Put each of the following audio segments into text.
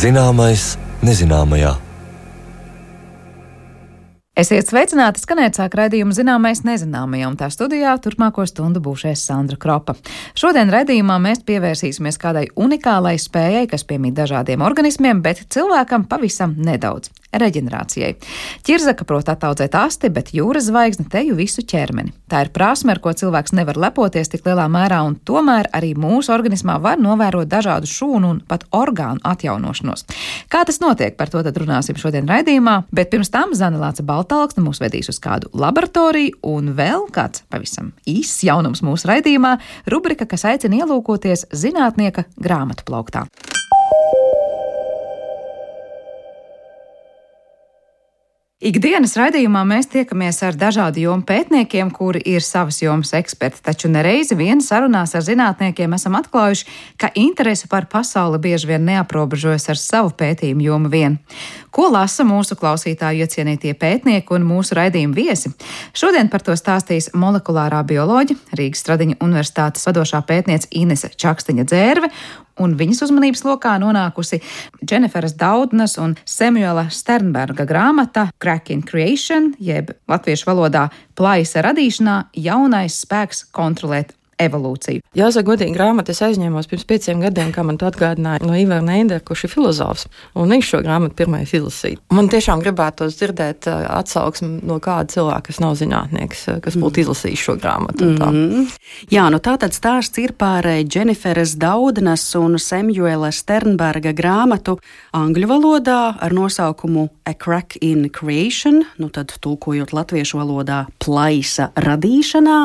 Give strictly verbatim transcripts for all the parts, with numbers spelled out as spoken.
Zināmais nezināmajā. Esiet sveicināti, skanēt sāk raidījumu Zināmais nezināmajā, un tā studijā turpmāko stundu būšēs Sandra Kropa. Šodien raidījumā mēs pievērsīsimies kādai unikālai spējai, kas piemīt dažādiem organismiem, bet cilvēkam pavisam nedaudz - reģenerācijai. Ķirzaka prot attaudzēt asti, bet jūras zvaigzne teju visu ķermeni. Tā ir prasme, ar ko cilvēks nevar lepoties tik lielā mērā, un tomēr arī mūsu organismā var novērot dažādu šūnu un pat orgānu atjaunošanos. Kā tas notiek, par to tad runāsim šodien raidījumā, bet pirms tam Zana Lāce Baltalksne mūs vedīs uz kādu laboratoriju, un vēl kāds pavisam īss jaunums mūsu raidījumā - rubrika, kas aicina ielūkoties zinātnieka grāmatu plauktā. Ikdienas raidījumā mēs tiekamies ar dažādu jomu pētniekiem, kuri ir savas jomas eksperti, taču nereizi vien sarunās ar zinātniekiem esam atklājuši, ka interese par pasauli bieži vien neaprobežojas ar savu pētījumu jomu vien. Ko lasa mūsu klausītāju iecienītie pētnieki un mūsu raidījuma viesi? Šodien par to stāstīs molekulārā bioloģe, Rīgas Stradiņa Universitātes vadošā pētniece Inese Čaksteņa-Dzērve, un viņas uzmanības lokā nonākusi Dženiferas Daudnas un Samuela Sternberga grāmata Crack in Creation, jeb latviešu valodā plaisa radīšanā jaunais spēks kontrolēt evolūciju. Jāsaka, godīgi, grāmatu es aizņēmos pirms pieciem gadiem, kā man to atgādināja no Ivara Neidera, kurš ir filozofs, un viņš šo grāmatu pirmais izlasīja. Man tiešām gribētos dzirdēt atsauksmi no kāda cilvēka, kas nav zinātnieks, kas būtu izlasījis šo grāmatu. Mm-hmm. Jā, nu tātad stāsts ir par Dženiferas Daudnas un Samuela Sternberga grāmatu angļu valodā ar nosaukumu A Crack in Creation, nu tad tulkojot latviešu valodā plaisa radīšanā.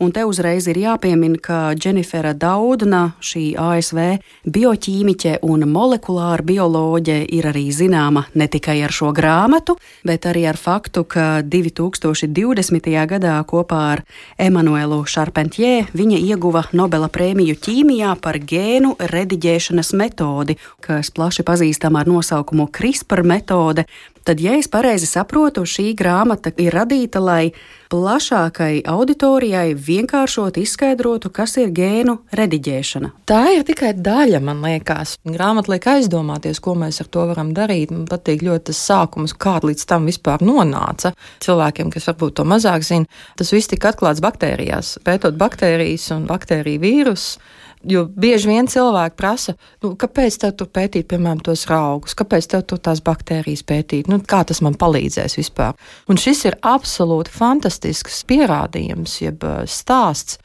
Un te uzreiz ir jāpiemina, ka Dženifera Daudna, šī A S V bioķīmiķe un molekulāra bioloģe, ir arī zināma ne tikai ar šo grāmatu, bet arī ar faktu, ka divi tūkstoši divdesmitajā gadā kopā ar Emanuelu Charpentier viņa ieguva Nobela prēmiju ķīmijā par gēnu rediģēšanas metodi, kas plaši pazīstama ar nosaukumu CRISPR metode. Tad, ja es pareizi saprotu, šī grāmata ir radīta, lai plašākai auditorijai vienkāršot izskaidrotu, kas ir gēnu rediģēšana. Tā ir tikai daļa, man liekas. Grāmata liek aizdomāties, ko mēs ar to varam darīt. Man patīk ļoti tas sākums, kā līdz tam vispār nonāca. Cilvēkiem, kas varbūt to mazāk zina, tas viss tika atklāts baktērijās, pētot baktērijas un baktēriju vīrusus. Jo bieži vien cilvēki prasa, nu, kāpēc tev tur pētīt, piemēram, tos raugus, kāpēc tev tur tās baktērijas pētīt, nu, kā tas man palīdzēs vispār. Un šis ir absolūti fantastisks pierādījums, jeb stāsts,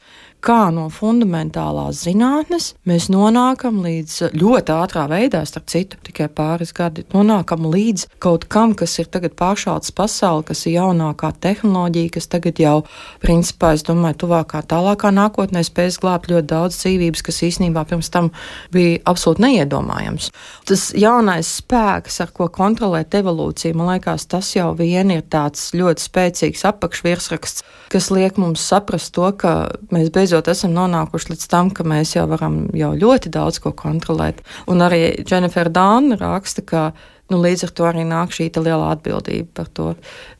kā no fundamentālās zinātnes mēs nonākam līdz ļoti ātrā veidā, starp citu, tikai pāris gadi, nonākam līdz kaut kam, kas ir tagad pāršauts pasauli, kas ir jaunākā tehnoloģija, kas tagad jau, principā, es domāju, tuvākā, tālākā nākotnē spēs glābt ļoti daudz dzīvības, kas īstenībā pirms tam bija absolūti neiedomājams. Tas jaunais spēks, ar ko kontrolēt evolūciju, man liekas, tas jau vien ir tāds ļoti spēcīgs apakšvirsraksts, kas liek mums saprast to, ka mēs beidzot esam nonākuši līdz tam, ka mēs jau varam jau ļoti daudz ko kontrolēt. Un arī Dženifera Daudna raksta, ka nu, līdz ar to arī nāk šī lielā atbildība par to.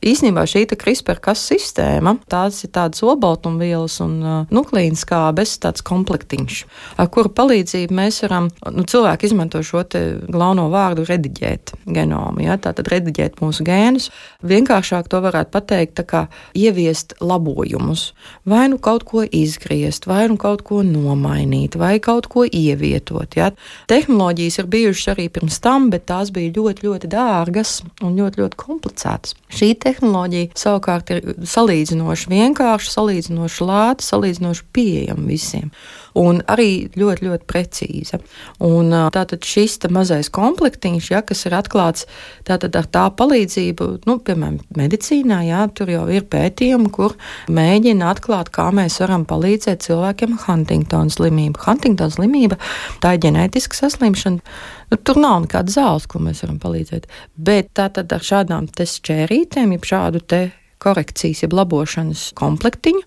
Īsnībā šī CRISPR-Cas sistēma, tās ir tādas olbaltumvielas un uh, nukleīnas skābes, tāds komplektiņš, ar kuru palīdzību mēs varam, nu, cilvēki izmanto šo te galveno vārdu rediģēt genomu, ja, tātad rediģēt mūsu gēnus. Vienkāršāk to varētu pateikt, tā kā ieviest labojumus, vai nu kaut ko izgriezt, vai nu kaut ko nomainīt, vai kaut ko ievietot, ja. Tehnoloģijas ir bijušas arī pirms tam, bet tās bija ļoti ļoti dārgas un ļoti, ļoti komplicētas. Šī tehnoloģija savukārt ir salīdzinoši vienkārša, salīdzinoši lēta, salīdzinoši pieejama visiem. Un arī ļoti, ļoti precīza. Un tātad šis mazais komplektiņš, ja, kas ir atklāts, tātad ar tā palīdzību, nu, piemēram, medicīnā, jā, tur jau ir pētījumi, kur mēģina atklāt, kā mēs varam palīdzēt cilvēkiem ar Huntingtona slimību. Huntingtona slimība, tā ir ģenētiska saslimšana. Nu, tur nav nekāda zāles, ko mēs varam palīdzēt. Bet tātad ar šādām te šķērītēm, jeb šādu te korekcijas, jeb labošanas komplektiņu,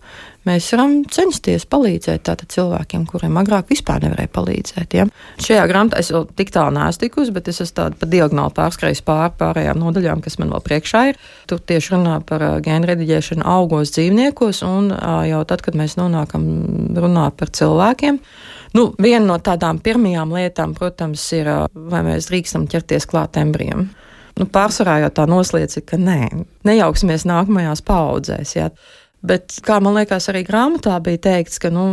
mēs varam censties palīdzēt tātad cilvēkiem, kuriem agrāk vispār nevarēja palīdzēt. Ja? Šajā grāmatā es vēl tik tālu neesmu tikusi, bet es esmu tādu pa diagonāli pārskrējis pāri pārējām nodaļām, kas man vēl priekšā ir. Tur tieši runā par gēnu rediģēšanu augos dzīvniekos, un jau tad, kad mēs nonākam runāt par cilvēkiem, Nu, viena no tādām pirmajām lietām, protams, ir, vai mēs drīkstam ķerties klāt embrijam. Nu, pārsvarā jau tā nosliec ir, ka nē, nejauksimies nākamajās paaudzēs, jā. Bet, kā man liekas, arī grāmatā bija teikts, ka, nu,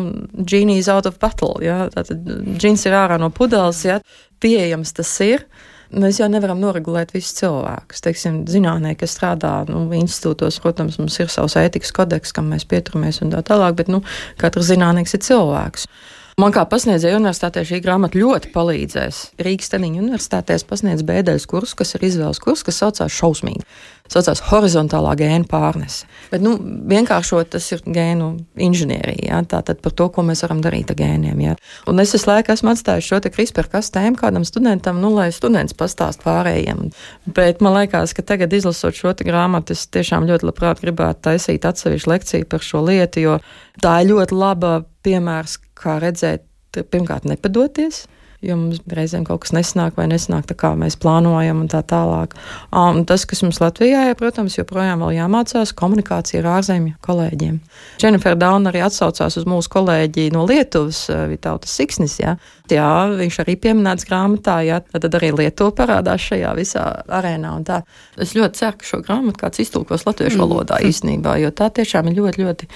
genie is out of bottle, jā, tātad džins ir ārā no pudeles, jā, pieejams tas ir. Mēs jau nevaram noregulēt visus cilvēkus. Teiksim, zinātnieki, kas strādā nu, institūtos, protams, mums ir savs ētikas kodeks, kam mēs pieturamies un tā tālāk, bet, nu, katrs zinātnieks ir cilvēks. Man kā pasniedzēja universitātē šī grāmata ļoti palīdzēs. Rīgas Teniņa universitātē pasniedz bēdeļas kursu, kas ir izvēles kurs, kas saucās šausmīgi. Saucās horizontālā gēnu pārnese. Bet, nu, vienkāršot tas ir gēnu inženierija, jā, tātad par to, ko mēs varam darīt ar gēniem, jā. Un es visu laiku esmu atstājis šo te CRISPR-Cas tēmu kādam studentam, nu, lai students pastāst pārējiem. Bet man liekas, ka tagad izlasot šo te grāmatu, es tiešām ļoti labprāt gribētu taisīt atsevišķu lekciju par šo lietu, jo tā ir ļoti laba piemērs, kā redzēt, pirmkārt nepadoties, jo mums reizēm kaut kas nesanāk vai nesanāk tā, kā mēs plānojam un tā tālāk. Un tas, kas mums Latvijā ir, protams, joprojām vēl jāmācās komunikācija ar ārzemju kolēģiem. Jennifer Dauna arī atsaucās uz mūsu kolēģi no Lietuvas, Vitautas Siksnis, jā. Jā, viņš arī pieminēts grāmatā, jā, tad arī Lietuva parādās šajā visā arēnā un tā. Es ļoti ceru, ka šo grāmatu kāds iztulkos latviešu valodā īstenībā, jo tā tiešām ir ļoti, ļoti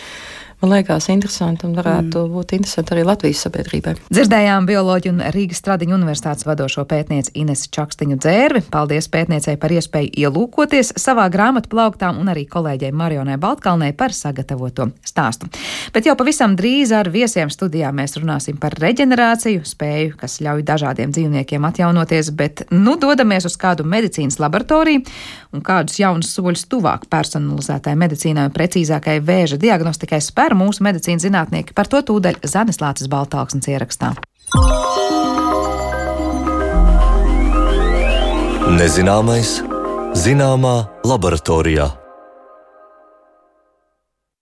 man liekas interesanti un varētu mm. būt interesanti arī Latvijas sabiedrībai. Dzirdējām bioloģu un Rīgas Stradiņu universitātes vadošo pētnieci Inesu Čakstiņu Dzērvi. Paldies pētniecei par iespēju ielūkoties savā grāmatu plauktā un arī kolēģei Marionai Baltkalnei par sagatavoto stāstu. Bet jau pavisam drīz ar viesiem studijā mēs runāsim par reģenerāciju, spēju, kas ļauj dažādiem dzīvniekiem atjaunoties, bet nu dodamies uz kādu medicīnas laboratoriju un kādus jaunus soļus tuvāk personalizētai medicīnai un precīzākai vēža diagnostikai spēr mūsu medicīnas zinātnieki. Par to tūdaļ Zanes Lāces Baltāksnes ierakstā. Nezināmais zināmā laboratorijā.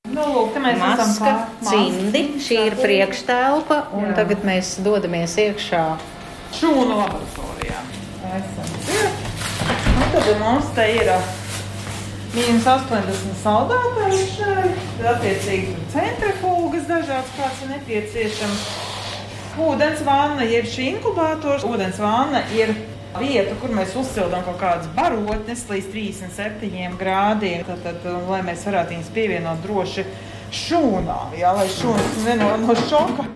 Nu, lūk, te mēs Maska, esam pār cimdi, šī ir priekštelpa, un Jā. tagad mēs dodamies iekšā. šūnu laboratorijā. Esam ciet. Un tad mums te ir mīnus astoņdesmit saldētāji šeit, tad attiecīgi centrifūgas dažāds, kāds ir nepieciešams. Ūdens vanna ir šī inkubātors. Ūdens vanna ir vieta, kur mēs uzsildām kaut kādas barotnes līdz trīsdesmit septiņiem grādiem, tad, tad, lai mēs varētu viņus pievienot droši šūnām, jā, lai šūnas nenāk no šoka.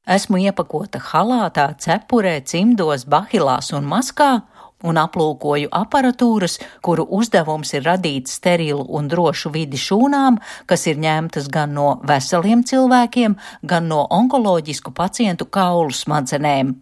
Esmu iepakota halātā, cepurē, cimdos, bahilās un maskā, un aplūkoju aparatūras, kuru uzdevums ir radīt sterilu un drošu vidi šūnām, kas ir ņemtas gan no veseliem cilvēkiem, gan no onkoloģisku pacientu kaulu smadzenēm.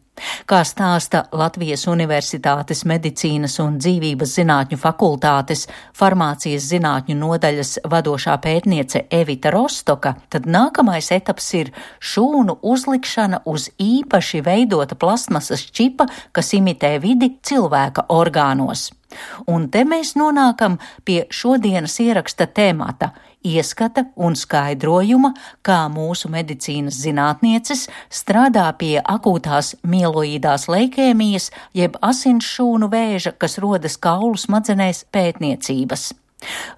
Kā stāsta Latvijas Universitātes medicīnas un dzīvības zinātņu fakultātes farmācijas zinātņu nodaļas vadošā pētniece Evita Rostoka, tad nākamais etaps ir šūnu uzlikšana uz īpaši veidota plastmasas čipa, kas imitē vidi cilvēka orgānos. Un te mēs nonākam pie šodienas ieraksta temata – ieskata un skaidrojuma, kā mūsu medicīnas zinātnieces strādā pie akūtās mieloīdās leikēmijas jeb asinsšūnu vēža, kas rodas kaulu smadzenēs pētniecības.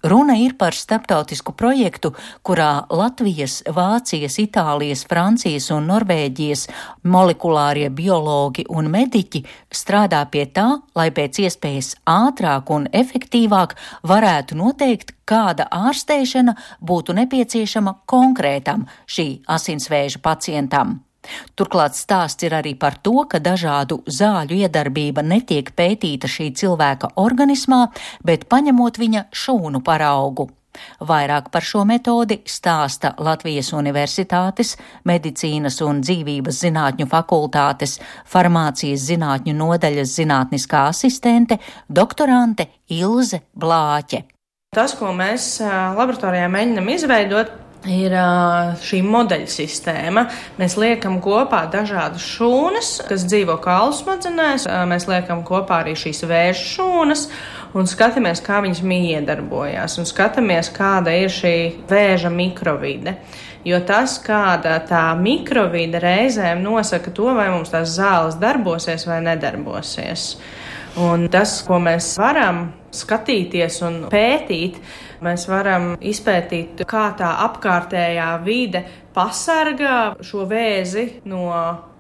Runa ir par starptautisku projektu, kurā Latvijas, Vācijas, Itālijas, Francijas un Norvēģijas molekulārie biologi un mediķi strādā pie tā, lai pēc iespējas ātrāk un efektīvāk varētu noteikt, kāda ārstēšana būtu nepieciešama konkrētam šī asinsvēža pacientam. Turklāt stāsts ir arī par to, ka dažādu zāļu iedarbība netiek pētīta šī cilvēka organismā, bet paņemot viņa šūnu paraugu. Vairāk par šo metodi stāsta Latvijas Universitātes medicīnas un dzīvības zinātņu fakultātes farmācijas zinātņu nodaļas zinātniskā asistente, doktorante Ilze Blāķe. Tas, ko mēs laboratorijā mēģinam izveidot, ir šī modeļa sistēma. Mēs liekam kopā dažādas šūnas, kas dzīvo kaulu smadzenēs. Mēs liekam kopā arī šīs vēža šūnas un skatāmies, kā viņas miedarbojās un skatāmies, kāda ir šī vēža mikrovide. Jo tas, kāda tā mikrovide reizēm nosaka to, vai mums tās zāles darbosies vai nedarbosies. Un tas, ko mēs varam skatīties un pētīt, mēs varam izpētīt, kā tā apkārtējā vide pasargā šo vēzi no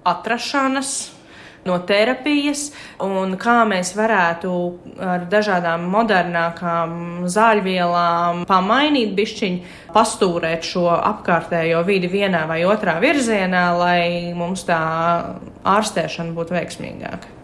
atrašanas, no terapijas, un kā mēs varētu ar dažādām modernākām zāļvielām pamainīt bišķiņu, pastūrēt šo apkārtējo vidi vienā vai otrā virzienā, lai mums tā ārstēšana būtu veiksmīgāka.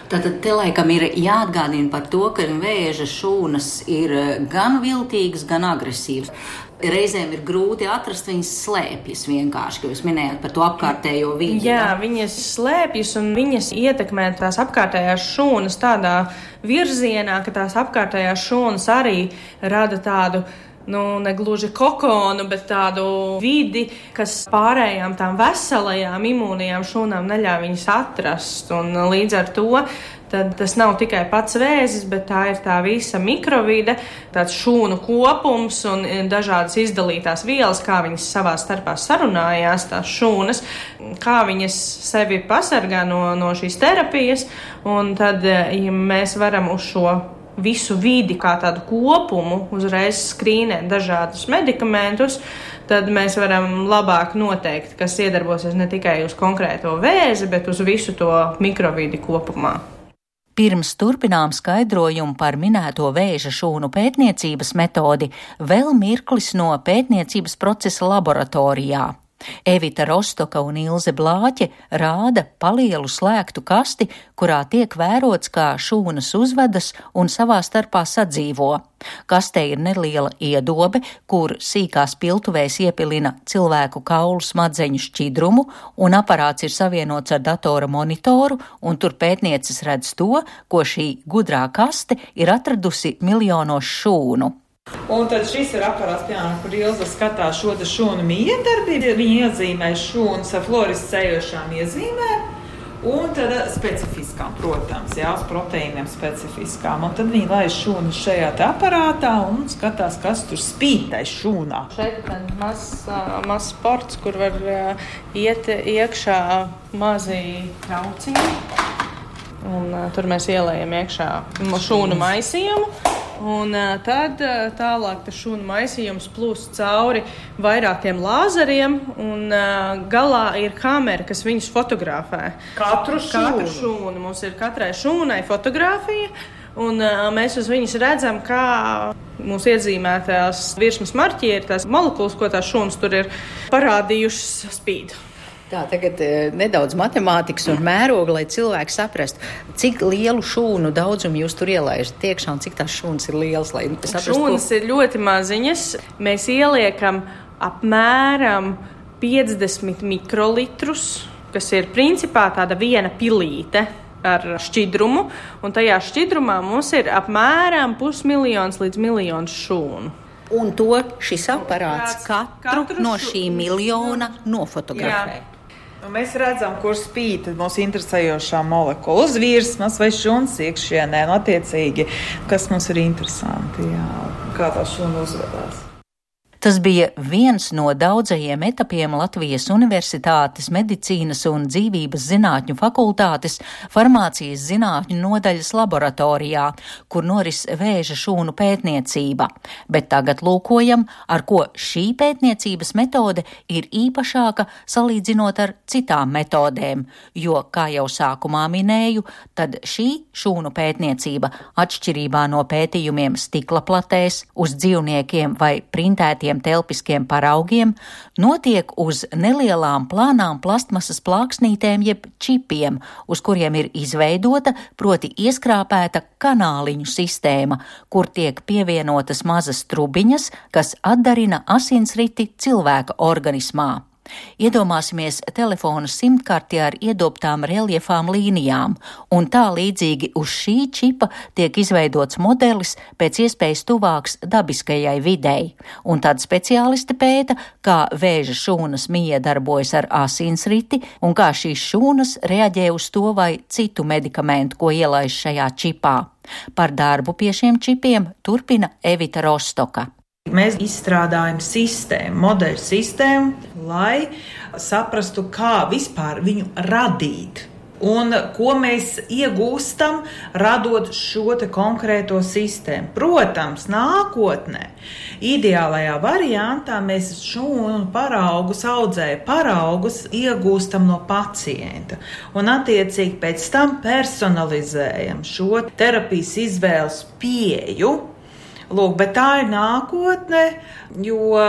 Tātad te laikam ir jāatgādina par to, ka vēža šūnas ir gan viltīgas, gan agresīvas. Reizēm ir grūti atrast, viņas slēpjas vienkārši, ka jūs minējāt par to apkārtējo vidi. Jā, viņas slēpjas un viņas ietekmē tās apkārtējās šūnas tādā virzienā, ka tās apkārtējās šūnas arī rada tādu, nu, negluži kokonu, bet tādu vidi, kas pārējām tām veselajām imūnijām šūnām neļauj viņas atrast. Un līdz ar to tad tas nav tikai pats vēzis, bet tā ir tā visa mikrovide, tāds šūnu kopums un dažādas izdalītās vielas, kā viņas savā starpā sarunājās, tās šūnas, kā viņas sevi pasargā no, no šīs terapijas. Un tad, ja mēs varam uz šo visu vidi kā tādu kopumu uzreiz skrīnēt dažādus medikamentus, tad mēs varam labāk noteikt, kas iedarbosies ne tikai uz konkrēto vēzi, bet uz visu to mikrovidi kopumā. Pirms turpinām skaidrojumu par minēto vēža šūnu pētniecības metodi, vēl mirklis no pētniecības procesa laboratorijā. Evita Rostoka un Ilze Blāķe rāda palielu slēgtu kasti, kurā tiek vērots, kā šūnas uzvedas un savā starpā sadzīvo. Kastē ir neliela iedobe, kur sīkās piltuvēs iepilina cilvēku kaulu smadzeņu šķidrumu, un aparāts ir savienots ar datora monitoru, un tur pētnieces redz to, ko šī gudrā kaste ir atradusi miljonos šūnu. Un tad šis ir aparāts, piemēram, kur Ilze skatās šo šūnu miedarbību. Viņi iezīmē šūnas ar fluorescējošām iezīmēm un tad specifiskām, protams, jā, uz proteīniem specifiskām. Un tad viņi laiž šūnas šajā te aparātā un skatās, kas tur spīd tai šūnā. Šeit ir mazs maz sports, kur var iet iekšā mazi trauciņi. Un uh, tur mēs ielējam iekšā šūnu maisījumu. Un tad tālāk tas šūnu maisījums plūst cauri vairākiem lāzeriem, un galā ir kamera, kas viņus fotografē. Katru šūnu. Katru šūnu. Mums ir katrai šūnai fotografija, un mēs uz viņas redzam, kā mūsu iezīmētās virsmas marķieri, tās molekulas, ko tās šūnas tur ir parādījušas, spīd. Tā, tagad e, nedaudz matemātikas un mēroga, lai cilvēki saprastu, cik lielu šūnu daudzumu jūs tur ielaižat iekšā un cik tās šūnas ir lielas. Lai saprastu, šūnas ko... ir ļoti maziņas. Mēs ieliekam apmēram piecdesmit mikrolitrus, kas ir principā tāda viena pilīte ar šķidrumu, un tajā šķidrumā mums ir apmēram pusmiljons līdz miljons šūnu. Un to šis aparāts katru, katru no šī miljona nofotografē. Jā. Un mēs redzam, kur spīd mūsu interesējošā molekula uz virsmas vai šūnas iekšienē, un attiecīgi, kas mums ir interesanti, jā, kā tā šūna uzvedās. Tas bija viens no daudzajiem etapiem Latvijas Universitātes medicīnas un dzīvības zinātņu fakultātes farmācijas zinātņu nodaļas laboratorijā, kur noris vēža šūnu pētniecība. Bet tagad lūkojam, ar ko šī pētniecības metode ir īpašāka salīdzinot ar citām metodēm, jo, kā jau sākumā minēju, tad šī šūnu pētniecība atšķirībā no pētījumiem stikla platēs, uz dzīvniekiem vai printētiem telpiskiem paraugiem, notiek uz nelielām plānām plastmasas plāksnītēm jeb čipiem, uz kuriem ir izveidota, proti ieskrāpēta kanāliņu sistēma, kur tiek pievienotas mazas trubiņas, kas atdarina asinsriti cilvēka organismā. Iedomāsimies telefona simtkarti ar iedobtām reljefām līnijām, un tā līdzīgi uz šī čipa tiek izveidots modelis pēc iespējas tuvāks dabiskajai videi, un tad speciālisti pēta, kā vēža šūnas miedarbojas ar asinsriti un kā šīs šūnas reaģē uz to vai citu medikamentu, ko ielaiž šajā čipā. Par darbu pie šiem čipiem turpina Evita Rostoka. Mēs izstrādājam sistēmu, modeļu sistēmu, lai saprastu, kā vispār viņu radīt. Un ko mēs iegūstam, radot šo te konkrēto sistēmu. Protams, nākotnē, ideālajā variantā mēs šūnu paraugus, audzēju paraugus iegūstam no pacienta. Un attiecīgi pēc tam personalizējam šo terapijas izvēles pieeju. Lūk, bet tā ir nākotne, jo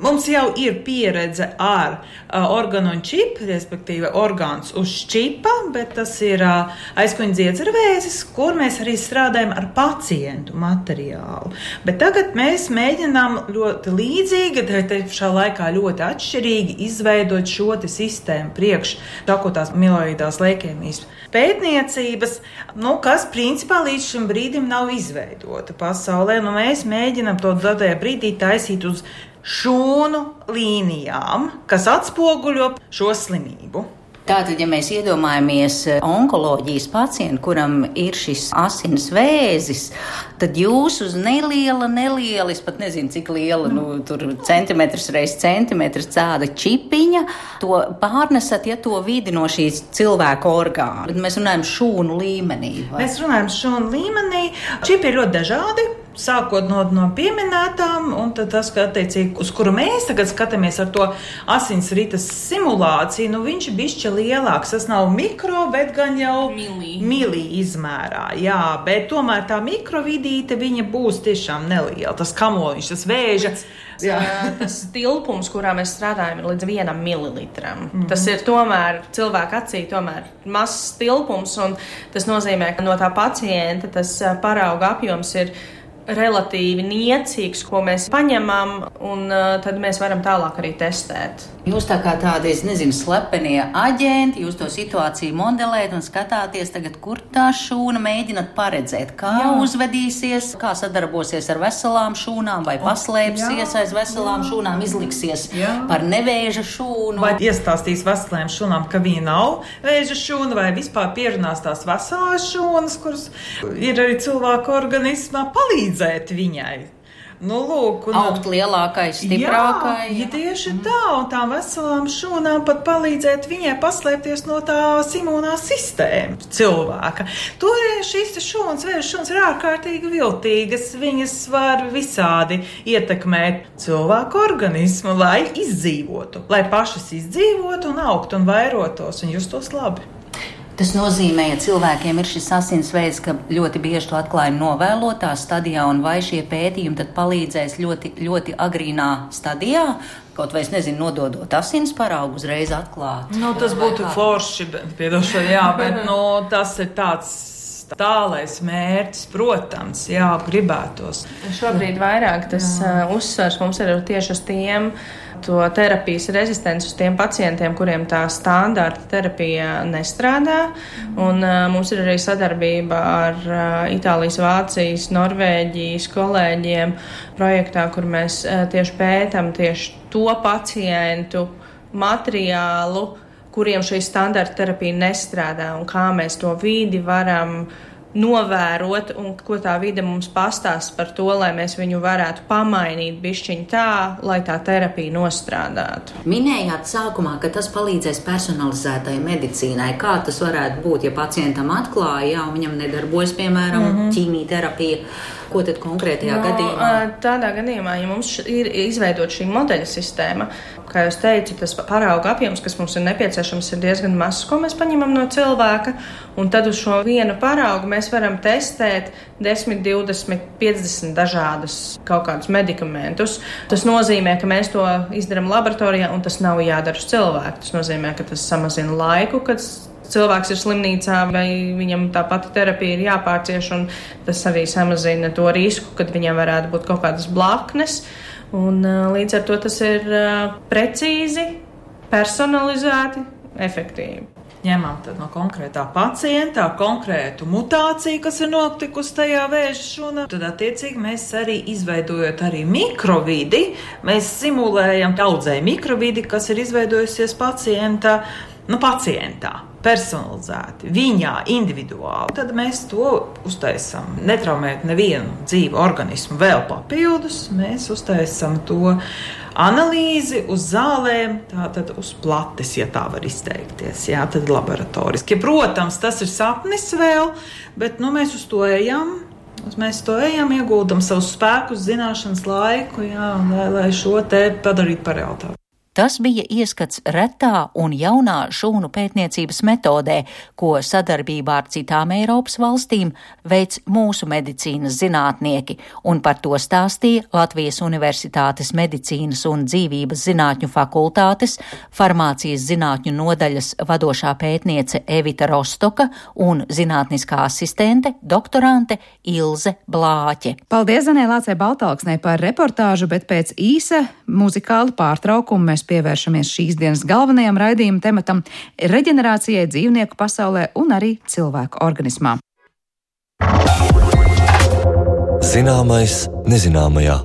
mums jau ir pieredze ar uh, organu un čipu, respektīvi orgāns uz čipa, bet tas ir uh, aizkuņdziedzervēzis, kur mēs arī strādājam ar pacientu materiālu. Bet tagad mēs mēģinām ļoti līdzīgi, te šā laikā ļoti atšķirīgi izveidot šo te sistēmu priekš akūtās mieloīdās leikēmijas pētniecības, nu, kas principā līdz šim brīdim nav izveidota pasaulē. Nu, mēs mēģinām to tajā brīdī taisīt uz šūnu līnijām, kas atspoguļo šo slimību. Tātad, ja mēs iedomājamies onkoloģijas pacientu, kuram ir šis asins vēzis, tad jūs uz neliela, neliela, es pat nezinu, cik liela, nu, tur centimetrs reiz centimetrs cāda čipiņa, to pārnesat, ja to vidi no šīs cilvēka orgāna. Bet mēs runājam šūnu līmenī. Vai? Mēs runājam šūnu līmenī. Čipi ir ļoti dažādi. Sākot no, no pieminētām, un tad tas, ka attiecīgi, uz kuru mēs tagad skatāmies ar to asinsrites simulāciju, nu viņš ir bišķi lielāks. Tas nav mikro, bet gan jau milī, milī izmērā. Jā, bet tomēr tā mikrovidīte, viņa būs tiešām neliela. Tas kamoliņš, tas vēža. Jā. Tas tilpums, kurā mēs strādājam, ir līdz vienam mililitram. Mm-hmm. Tas ir tomēr cilvēka acī tomēr mazs tilpums, un tas nozīmē, ka no tā pacienta tas parauga apjoms ir relatīvi niecīgs, ko mēs paņemam, un uh, tad mēs varam tālāk arī testēt. Jūs tā kā tādi, es nezinu, slepenie aģenti, jūs to situāciju modelēt un skatāties tagad, kur tā šūna mēģināt paredzēt, kā jā. Uzvedīsies, kā sadarbosies ar veselām šūnām, vai paslēpsies aiz veselām jā. Šūnām, izliksies jā. Par nevēža šūnu. Vai iestāstīs veselēm šūnām, ka viņa nav vēža šūna, vai vispār pierunās tās veselās šūnas, kuras ir arī cilvēka organismā, palīdzēt viņai. Nu, lūk, un, augt lielākai, stiprākai. Jā, ja tieši tā, un tām veselām šūnām pat palīdzēt viņai paslēpties no tās imunā sistēmas cilvēka. Tur šīs šūnas, vēža šūnas ir ārkārtīgi viltīgas, viņas var visādi ietekmēt cilvēku organismu, lai izdzīvotu, lai pašas izdzīvotu un augt un vairotos un justos labi. Tas nozīmē, ja cilvēkiem ir šis asinsveids, ka ļoti bieži to atklājam novēlotā stadijā, un vai šie pētījumi tad palīdzēs ļoti, ļoti agrīnā stadijā, kaut vai, es nezinu, nododot asins paraugu uzreiz atklāt. Nu, tas būtu forši, piedošana, jā, bet nu, tas ir tāds tālais mērķis, protams, jā, gribētos. Šobrīd vairāk tas uh, uzsvars mums ir tieši uz tiem, to terapijas rezistenci uz tiem pacientiem, kuriem tā standarta terapija nestrādā. Un uh, mums ir arī sadarbība ar uh, Itālijas, Vācijas, Norvēģijas kolēģiem projektā, kur mēs uh, tieši pētam tieši to pacientu materiālu, kuriem šī standarta terapija nestrādā, un kā mēs to vidi varam novērot, un ko tā vide mums pastāst par to, lai mēs viņu varētu pamainīt bišķiņ tā, lai tā terapija nostrādātu. Minējāt sākumā, ka tas palīdzēs personalizētai medicīnai. Kā tas varētu būt, ja pacientam atklāja, jā, un viņam nedarbojas, piemēram, mm-hmm. ķīmijterapija? Ko tad konkrētajā no, gadījumā? Tādā gadījumā, ja mums ir izveidot šī modeļa sistēma, kā jūs teicu, tas parauga apjoms, kas mums ir nepieciešams, ir diezgan mazs, ko mēs paņemam no cilvēka, un tad uz šo vienu paraugu mēs varam testēt desmit, divdesmit, piecdesmit dažādus kaut kādus medikamentus. Tas nozīmē, ka mēs to izdarām laboratorijā, un tas nav jādara uz cilvēku. Tas nozīmē, ka tas samazina laiku, kad cilvēks ir slimnīcā, vai viņam tā pati terapija ir jāpārcieš, un tas arī samazina to risku, kad viņam varētu būt kaut kādas blaknes. Un līdz ar to tas ir precīzi, personalizēti, efektīvi. Ņemam tad no konkrētā pacienta konkrētu mutāciju, kas ir notikusi tajā vēža šūnā. Tad attiecīgi mēs arī izveidojot arī mikrovidi, mēs simulējam audzēju mikrovidi, kas ir izveidojusies pacienta, nu pacientā, personalizēti, viņā, individuāli. Tad mēs to uztaisam, netraumēt nevienu dzīvu organismu vēl papildus, mēs uztaisam to analīzi uz zālēm, tātad uz plates, ja tā var izteikties, jā, tad laboratoriski. Protams, tas ir sapnis vēl, bet nu, mēs uz to ejam. Mēs to ejam, ieguldam savus spēkus, zināšanas, laiku, jā, lai, lai šo te padarītu par realitāti. Tas bija ieskats retā un jaunā šūnu pētniecības metodē, ko sadarbībā ar citām Eiropas valstīm veic mūsu medicīnas zinātnieki, un par to stāstīja Latvijas Universitātes medicīnas un dzīvības zinātņu fakultātes, farmācijas zinātņu nodaļas vadošā pētniece Evita Rostoka un zinātniskā asistente doktorante Ilze Blāķe. Paldies Zanē Lācei Baltalksnei par reportāžu, bet pēc īsa muzikāla pārtraukuma mēs pievēršamies šīs dienas galvenajam raidījuma tematam - reģenerācijai dzīvnieku pasaulē un arī cilvēku organismā. Zināmais nezināmajā.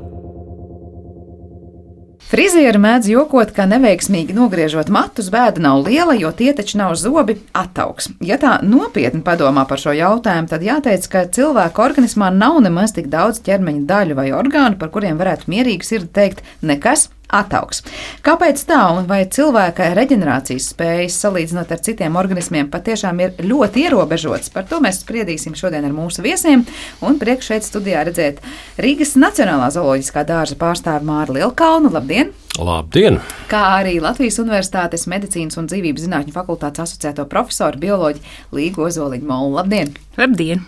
Frizieri mēdz jokot, ka neveiksmīgi nogriežot matus bēda nav liela, jo tie taču nav zobi, attaugs. Ja tā nopietni padomā par šo jautājumu, tad jāteic, ka cilvēka organismā nav nemaz tik daudz ķermeņa daļu vai orgānu, par kuriem varētu mierīgi sirdi teikt nekas. Attaugs. Kāpēc tā un vai cilvēka reģenerācijas spējas salīdzinot ar citiem organismiem patiešām ir ļoti ierobežotas? Par to mēs spriedīsim šodien ar mūsu viesiem, un priekš šeit studijā redzēt Rīgas Nacionālā zooloģiskā dārza pārstāvi Māri Lielkalnu. Labdien! Labdien! Kā arī Latvijas Universitātes medicīnas un dzīvības zinātņu fakultātes asociēto profesoru bioloģi Līgu Ozoliņu Molu. Labdien! Labdien!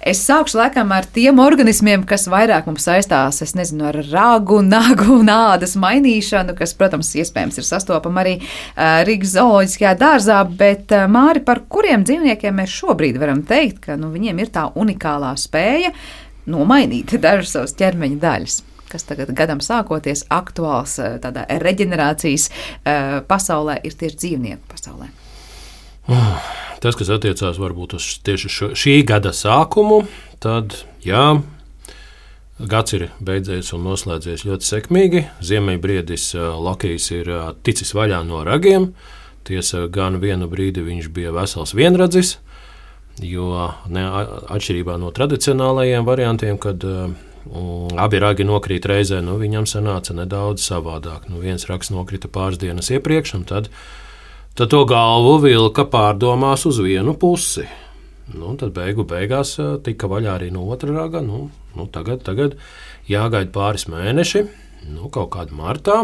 Es sākšu laikam ar tiem organismiem, kas vairāk mums saistās, es nezinu, ar ragu, nagu un ādas mainīšanu, kas, protams, iespējams ir sastopama arī uh, Rīgas zooloģiskajā dārzā, bet uh, Māri, par kuriem dzīvniekiem mēs šobrīd varam teikt, ka nu, viņiem ir tā unikālā spēja nomainīt dažas savas ķermeņa daļas, kas tagad gadam sākoties aktuāls uh, tādā reģenerācijas uh, pasaulē, ir tieši dzīvnieku pasaulē. Tas, kas attiecās varbūt uz tieši šo, šī gada sākumu, tad jā, gads ir beidzies un noslēdzies ļoti sekmīgi. Ziemeļbriedis Lokijs ir ticis vaļā no ragiem. Tiesa, gan vienu brīdi viņš bija vesels vienradzis, jo ne, atšķirībā no tradicionālajiem variantiem, kad um, abi ragi nokrīt reizē, nu, viņam sanāca nedaudz savādāk. Nu, viens rags nokrita pāris dienas iepriekš, un tad Tad to galvu vilka pārdomās uz vienu pusi. Nu, tad beigu beigās tika vaļā arī no otra raga. Nu, nu, tagad, tagad jāgaida pāris mēneši, nu, kaut kādā martā.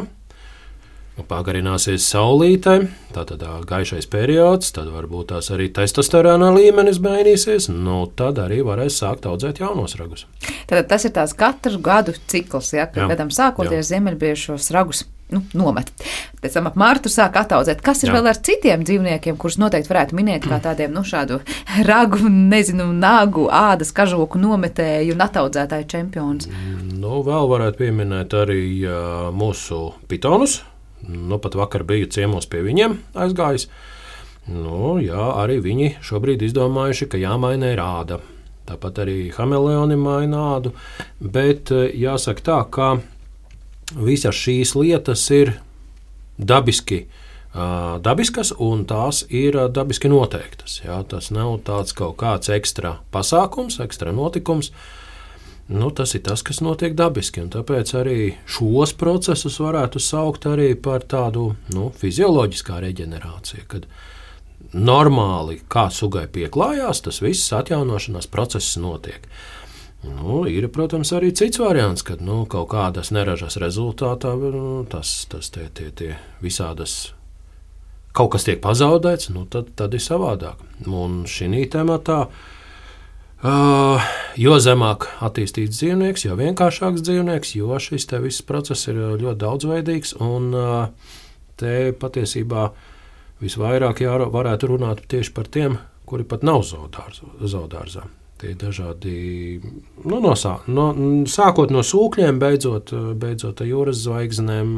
Pagarināsies saulītē, tātad gaišais periods, tad varbūt tās arī testosterona līmenis mainīsies, nu, tad arī varēs sākt audzēt jaunos ragus. Tad tas ir tās katru gadu cikls, ja, kad gadam sākoties ziemeļbriežu šos ragus nu, nomet. Pēc tam ap martu sāk ataudzēt. Kas ir Jā. Vēl ar citiem dzīvniekiem, kurus noteikti varētu minēt kā tādiem, nu, šādu ragu, nezinu, nagu, ādas, kažoku nometēju un ataudzētāju čempionus? Nu, vēl varētu pieminēt arī uh, mūsu pitonus. Nu, pat vakar biju ciemos pie viņiem aizgājis. Nu, jā, arī viņi šobrīd izdomājuši, ka jāmaina ir āda. Tāpat arī hameleoni maina ādu. Bet jāsaka tā, ka visas šīs lietas ir dabiski, uh, dabiskas un tās ir dabiski noteiktas. Jā, tas nav tāds kaut kāds ekstra pasākums, ekstra notikums. Nu, tas ir tas, kas notiek dabiski, un tāpēc arī šos procesus varētu saukt arī par tādu nu, fizioloģiskā reģenerāciju, kad normāli kā sugai pieklājās, tas viss atjaunošanās process notiek. Nu, ir, protams, arī cits variants, kad nu, kaut kādas neražas rezultātā nu, tas, tas tie, tie, tie visādas kaut kas tiek pazaudēts, nu, tad, tad ir savādāk. Un šī tematā Uh, jo zemāk attīstīts dzīvnieks, jo vienkāršāks dzīvnieks, jo šis te viss process ir ļoti daudzveidīgs, un uh, te patiesībā visvairāk jā, varētu runāt tieši par tiem, kuri pat nav zoodārzā. Tie dažādi, nu, no, no, sākot no sūkļiem, beidzot, beidzot ar jūras zvaigznēm,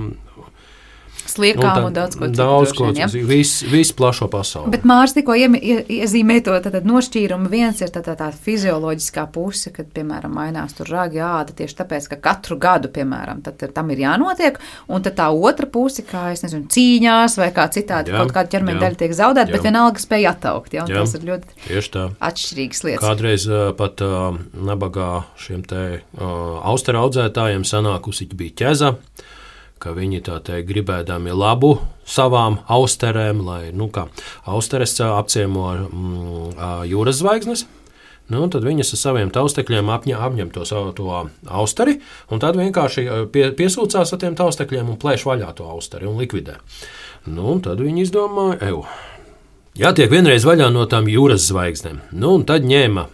sliekām un, un daudz ko citu. Daudz ko citu, visu vis plašo pasauli. Bet Mārs tikko ie, ie, iezīmē to tad, tad nošķīrumu. Viens ir tā, tā, tā fizioloģiskā puse, kad, piemēram, mainās tur ragi āda tieši tāpēc, ka katru gadu, piemēram, tad tam ir jānotiek, un tad tā otra puse, kā, es nezinu, cīņās vai kā citādi, jā, kaut kāda ķermeņa daļa tiek zaudēta, bet vienalga spēja attaukt, ja, un jā, tas ir ļoti atšķirīgas lietas. Kādreiz uh, pat uh, nabagā šiem te uh, austeru audzētājiem sanākusi bija ķeza, ka viņi tā teikt gribēdami labu savām austerēm, lai, nu kā, austeres apciemo mm, jūras zvaigznes. Nu, tad viņas ar saviem taustekļiem apņem, apņem to savu to austeri, un tad vienkārši pie, piesūcās ar tiem taustekļiem un plēš vaļā to austeri un likvidē. Nu, un tad viņi izdomāja, eju, jātiek vienreiz vaļā no tām jūras zvaigznēm. Nu, un tad ņēma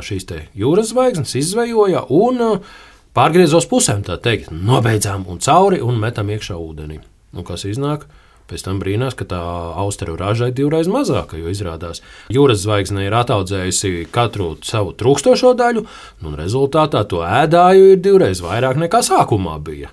šīs te jūras zvaigznes, izzvejoja un pārgrieza uz pusēm, tā teikt, nobeidzām un cauri un metam iekšā ūdenī. Nu, kas iznāk? Pēc tam brīnās, ka tā austeru raža ir divreiz mazāka, jo izrādās jūras zvaigzne ir ataudzējusi katru savu trūkstošo daļu, un rezultātā to ēdāju ir divreiz vairāk nekā sākumā bija.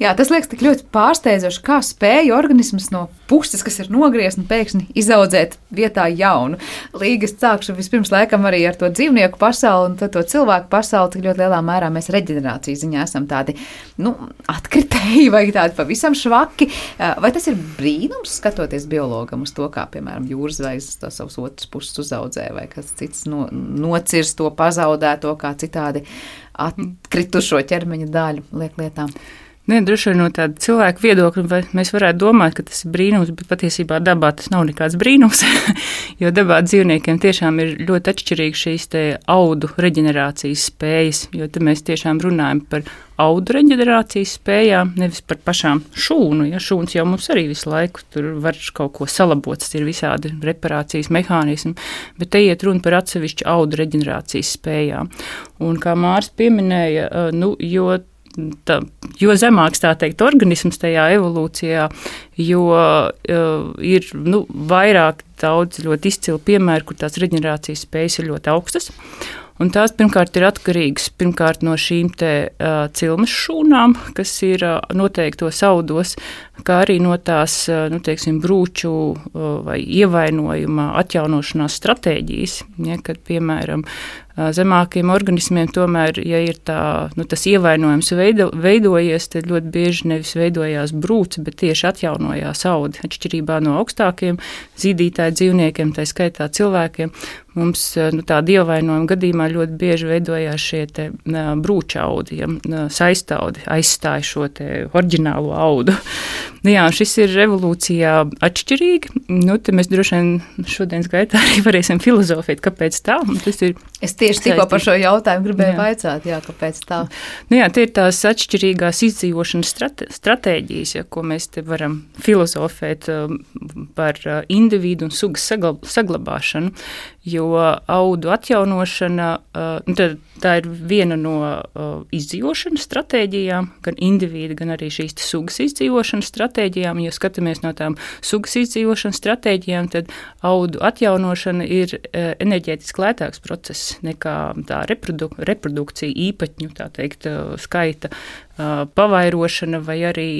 Jā, tas liekas tik ļoti pārsteidzoši, kā spēja organisms no puses, kas ir nogriezts, un pēkšņi izaudzēt vietā jaunu. Līgas sākšu vispirms laikam arī ar to dzīvnieku pasauli un to cilvēku pasauli, cik ļoti lielā mērā mēs reģenerācijas ziņā esam tādi, nu, atkritēji vai tādi pavisam švaki. Vai tas ir brīnums, skatoties biologam uz to, kā, piemēram, jūras zvaigznes to savus otras puses uzaudzē, vai kas cits no, nocirs to, pazaudē to, kā citādi atkritušo ķermeņa daļu liek lietām? Nē, droši vien no tāda cilvēka viedokļa mēs varētu domāt, ka tas ir brīnums, bet patiesībā dabā tas nav nekāds brīnums, jo dabā dzīvniekiem tiešām ir ļoti atšķirīgi šīs te audu reģenerācijas spējas, jo te mēs tiešām runājam par audu reģenerācijas spējām, nevis par pašām šūnu. Ja šūns jau mums arī visu laiku tur var kaut ko salabot, tas ir visādi reparācijas mehānismi, bet te iet runa par atsevišķu audu reģenerācijas spējām. Un kā Māris pieminēja, nu, jo Tā, jo zemāks tā teikt organisms tajā evolūcijā, jo uh, ir nu, vairāk daudz ļoti izcili piemēri, kur tās reģenerācijas spējas ir ļoti augstas. Un tās pirmkārt ir atkarīgas pirmkārt no šīm te uh, cilmes šūnām, kas ir uh, noteiktos audos, kā arī no tās, uh, nu, teiksim, brūču uh, vai ievainojuma atjaunošanās stratēģijas, ja, kad, piemēram, zemākiem organismiem tomēr, ja ir tā, nu, tas ievainojums veido, veidojies, tad ļoti bieži nevis veidojās brūce, bet tieši atjaunojās audi. Atšķirībā no augstākiem zīdītāju dzīvniekiem, tā skaitā cilvēkiem, mums nu, tāda ievainojuma gadījumā ļoti bieži veidojās šie te brūča audi, ja, saistaudi aizstāja šo te oriģinālo audu. Jā, šis ir evolūcijā atšķirīgi. Nu, te mēs droši vien šodienas gaitā arī varēsim filozofēt, kāpēc tā. Tas ir es tieši tikko par šo jautājumu gribēju jā. vaicāt, jā, kāpēc tā. Nu, jā, tie ir tās atšķirīgās izdzīvošanas strate, stratēģijas, ja, ko mēs te varam filozofēt um, par uh, individu un sugas saglab, saglabāšanu, jo audu atjaunošana, uh, tad tā ir viena no uh, izdzīvošanas stratēģijām, gan individa, gan arī šīs sugas izdzīvošanas stratēģijām. Ja skatāmies no tām sugas izdzīvošanas stratēģijām, tad audu atjaunošana ir uh, enerģētiski lētāks process nekā tā reproduk- reprodukcija īpaņu, tā teikt, uh, skaita uh, pavairošana vai arī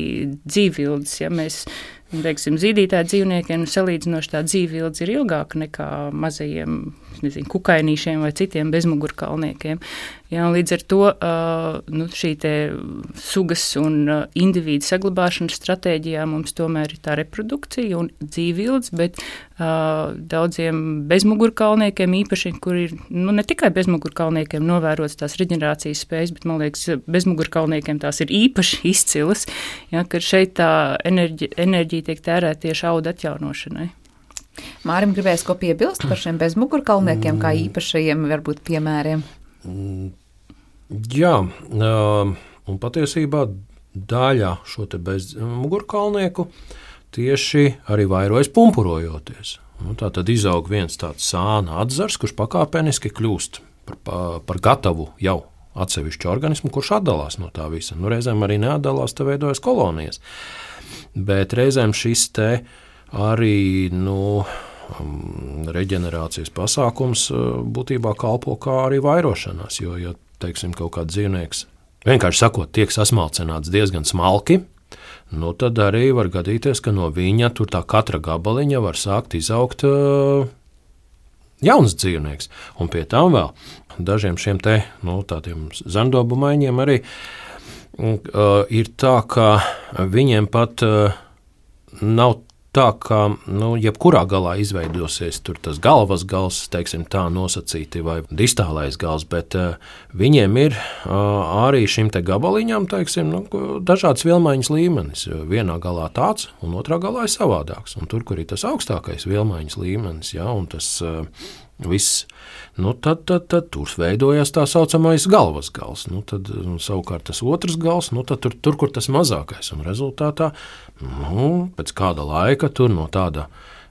dzīvvildes. Ja mēs teiksim, zīdītāju dzīvniekiem salīdzinoši tā dzīvvildes ir ilgāka nekā mazajiem, nezinu, kukainīšiem vai citiem bezmugurkalniekiem. Ja, līdz ar to uh, nu, šī te sugas un uh, individu saglabāšanas stratēģijā mums tomēr ir tā reprodukcija un dzīvvildes, bet uh, daudziem bezmugurkalniekiem īpaši, kur ir nu, ne tikai bezmugurkalniekiem novērots tās reģenerācijas spējas, bet, man liekas, bezmugurkalniekiem tās ir īpaši izcilas, ja, ka šeit tā enerģi, enerģija tiek tērēta tieši audu atjaunošanai. Mārim gribēs ko piebilst par šiem bezmugurkalniekiem, kā īpašajiem varbūt piemēriem? Jā, un patiesībā daļa šo te bezmugurkalnieku tieši arī vairojas pumpurojoties. Nu, tā tad izaug viens tāds sāna atzars, kurš pakāpeniski kļūst par, par gatavu jau atsevišķu organismu, kurš atdalās no tā visa. Nu, reizēm arī neatdalās, te veidojas kolonijas. Bet reizēm šis te arī nu, reģenerācijas pasākums būtībā kalpo kā arī vairošanās, jo, ja, teiksim, kaut kāds dzīvnieks, vienkārši sakot, tiek sasmalcināts diezgan smalki, nu, tad arī var gadīties, ka no viņa tur tā katra gabaliņa var sākt izaugt uh, jauns dzīvnieks. Un pie tam vēl dažiem šiem te, nu, tādiem zandobu maiņiem arī uh, ir tā, ka viņiem pat uh, nav tā, ka nu, jebkurā galā izveidosies tur tas galvas gals, teiksim tā nosacīti, vai distālais gals, bet uh, viņiem ir uh, arī šim te gabaliņam, teiksim, nu, dažāds vielmaiņas līmenis. Vienā galā tāds, un otrā galā ir savādāks. Un tur, kur ir tas augstākais vielmaiņas līmenis, ja, un tas uh, viss, nu, tad, tad, tad tur veidojas tā saucamais galvas gals. Nu, tad nu, savukārt tas otrs gals, nu, tad tur, tur, kur tas mazākais, un rezultātā, nu, pēc kāda laika tur no tāda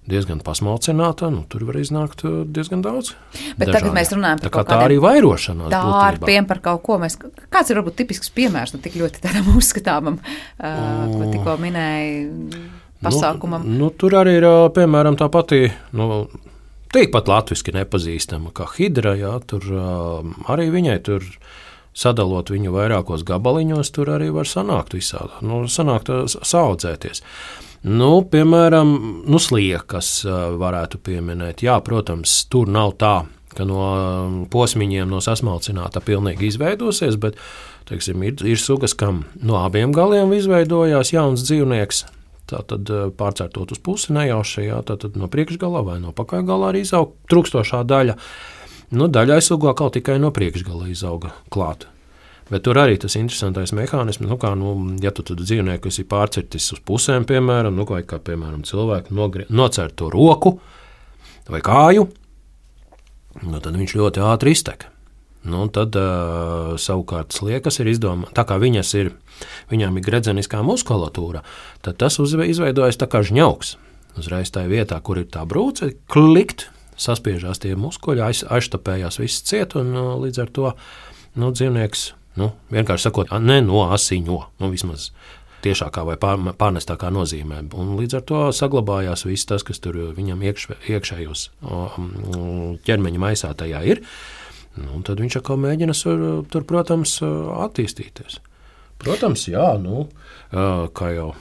diezgan pasmalcināta, nu, tur var iznākt diezgan daudz. Bet dažādi. Tagad mēs runājam par tā kā kaut tā arī vairošanās dārpiem, par kaut ko. Mēs, kāds ir varbūt tipisks piemērs, nu, tik ļoti tādam uzskatāmam, uh, ko tikko minēja pasākumam? Nu, nu, tur arī ir, piemēram, tā pati, nu, tikpat latviski nepazīstama kā hidra, jā, tur uh, arī viņai tur sadalot viņu vairākos gabaliņos, tur arī var sanākt visādi, nu, sanākt saaudzēties. Nu, piemēram, nu, sliekas varētu pieminēt. Jā, protams, tur nav tā, ka no posmiņiem no sasmalcināta pilnīgi izveidosies, bet, teiksim, ir, ir sugas, kam no abiem galiem izveidojās jauns dzīvnieks, tātad pārcērtot uz pusi nejauši, jā, tātad no priekšgalā vai no pakaļgalā arī izaug trūkstošā daļa. Nu, daļai sugu atkal tikai no priekšgala izauga klāt. Bet tur arī tas interesantais mehānisms, nu, kā, nu, ja tu tad dzīvnieku, kas ir pārcirtis uz pusēm, piemēram, nu, vai kā, piemēram, cilvēku nogri, nocērt to roku vai kāju, nu, tad viņš ļoti ātri iztek. Nu, tad uh, savukārt sliekas ir izdomā, tā kā viņas ir, viņām ir gredzeniskā muskulatūra, tad tas uz, izveidojas tā kā žņauks. Uzreiz tajā vietā, kur ir tā brūce, klikt, saspiežās tie muskuļi, aiz, aiztapējās viss ciet, un uh, līdz ar to nu, dzīvnieks, nu, vienkārši sakot, ne no asiņo, nu, vismaz tiešākā vai pār, pārnestākā nozīmē. Un līdz ar to saglabājās viss tas, kas tur viņam iekš, iekšējos ķermeņa maisā tajā ir. Nu, tad viņš atkal mēģina sur, tur, protams, attīstīties. Protams, jā, nu, kā jau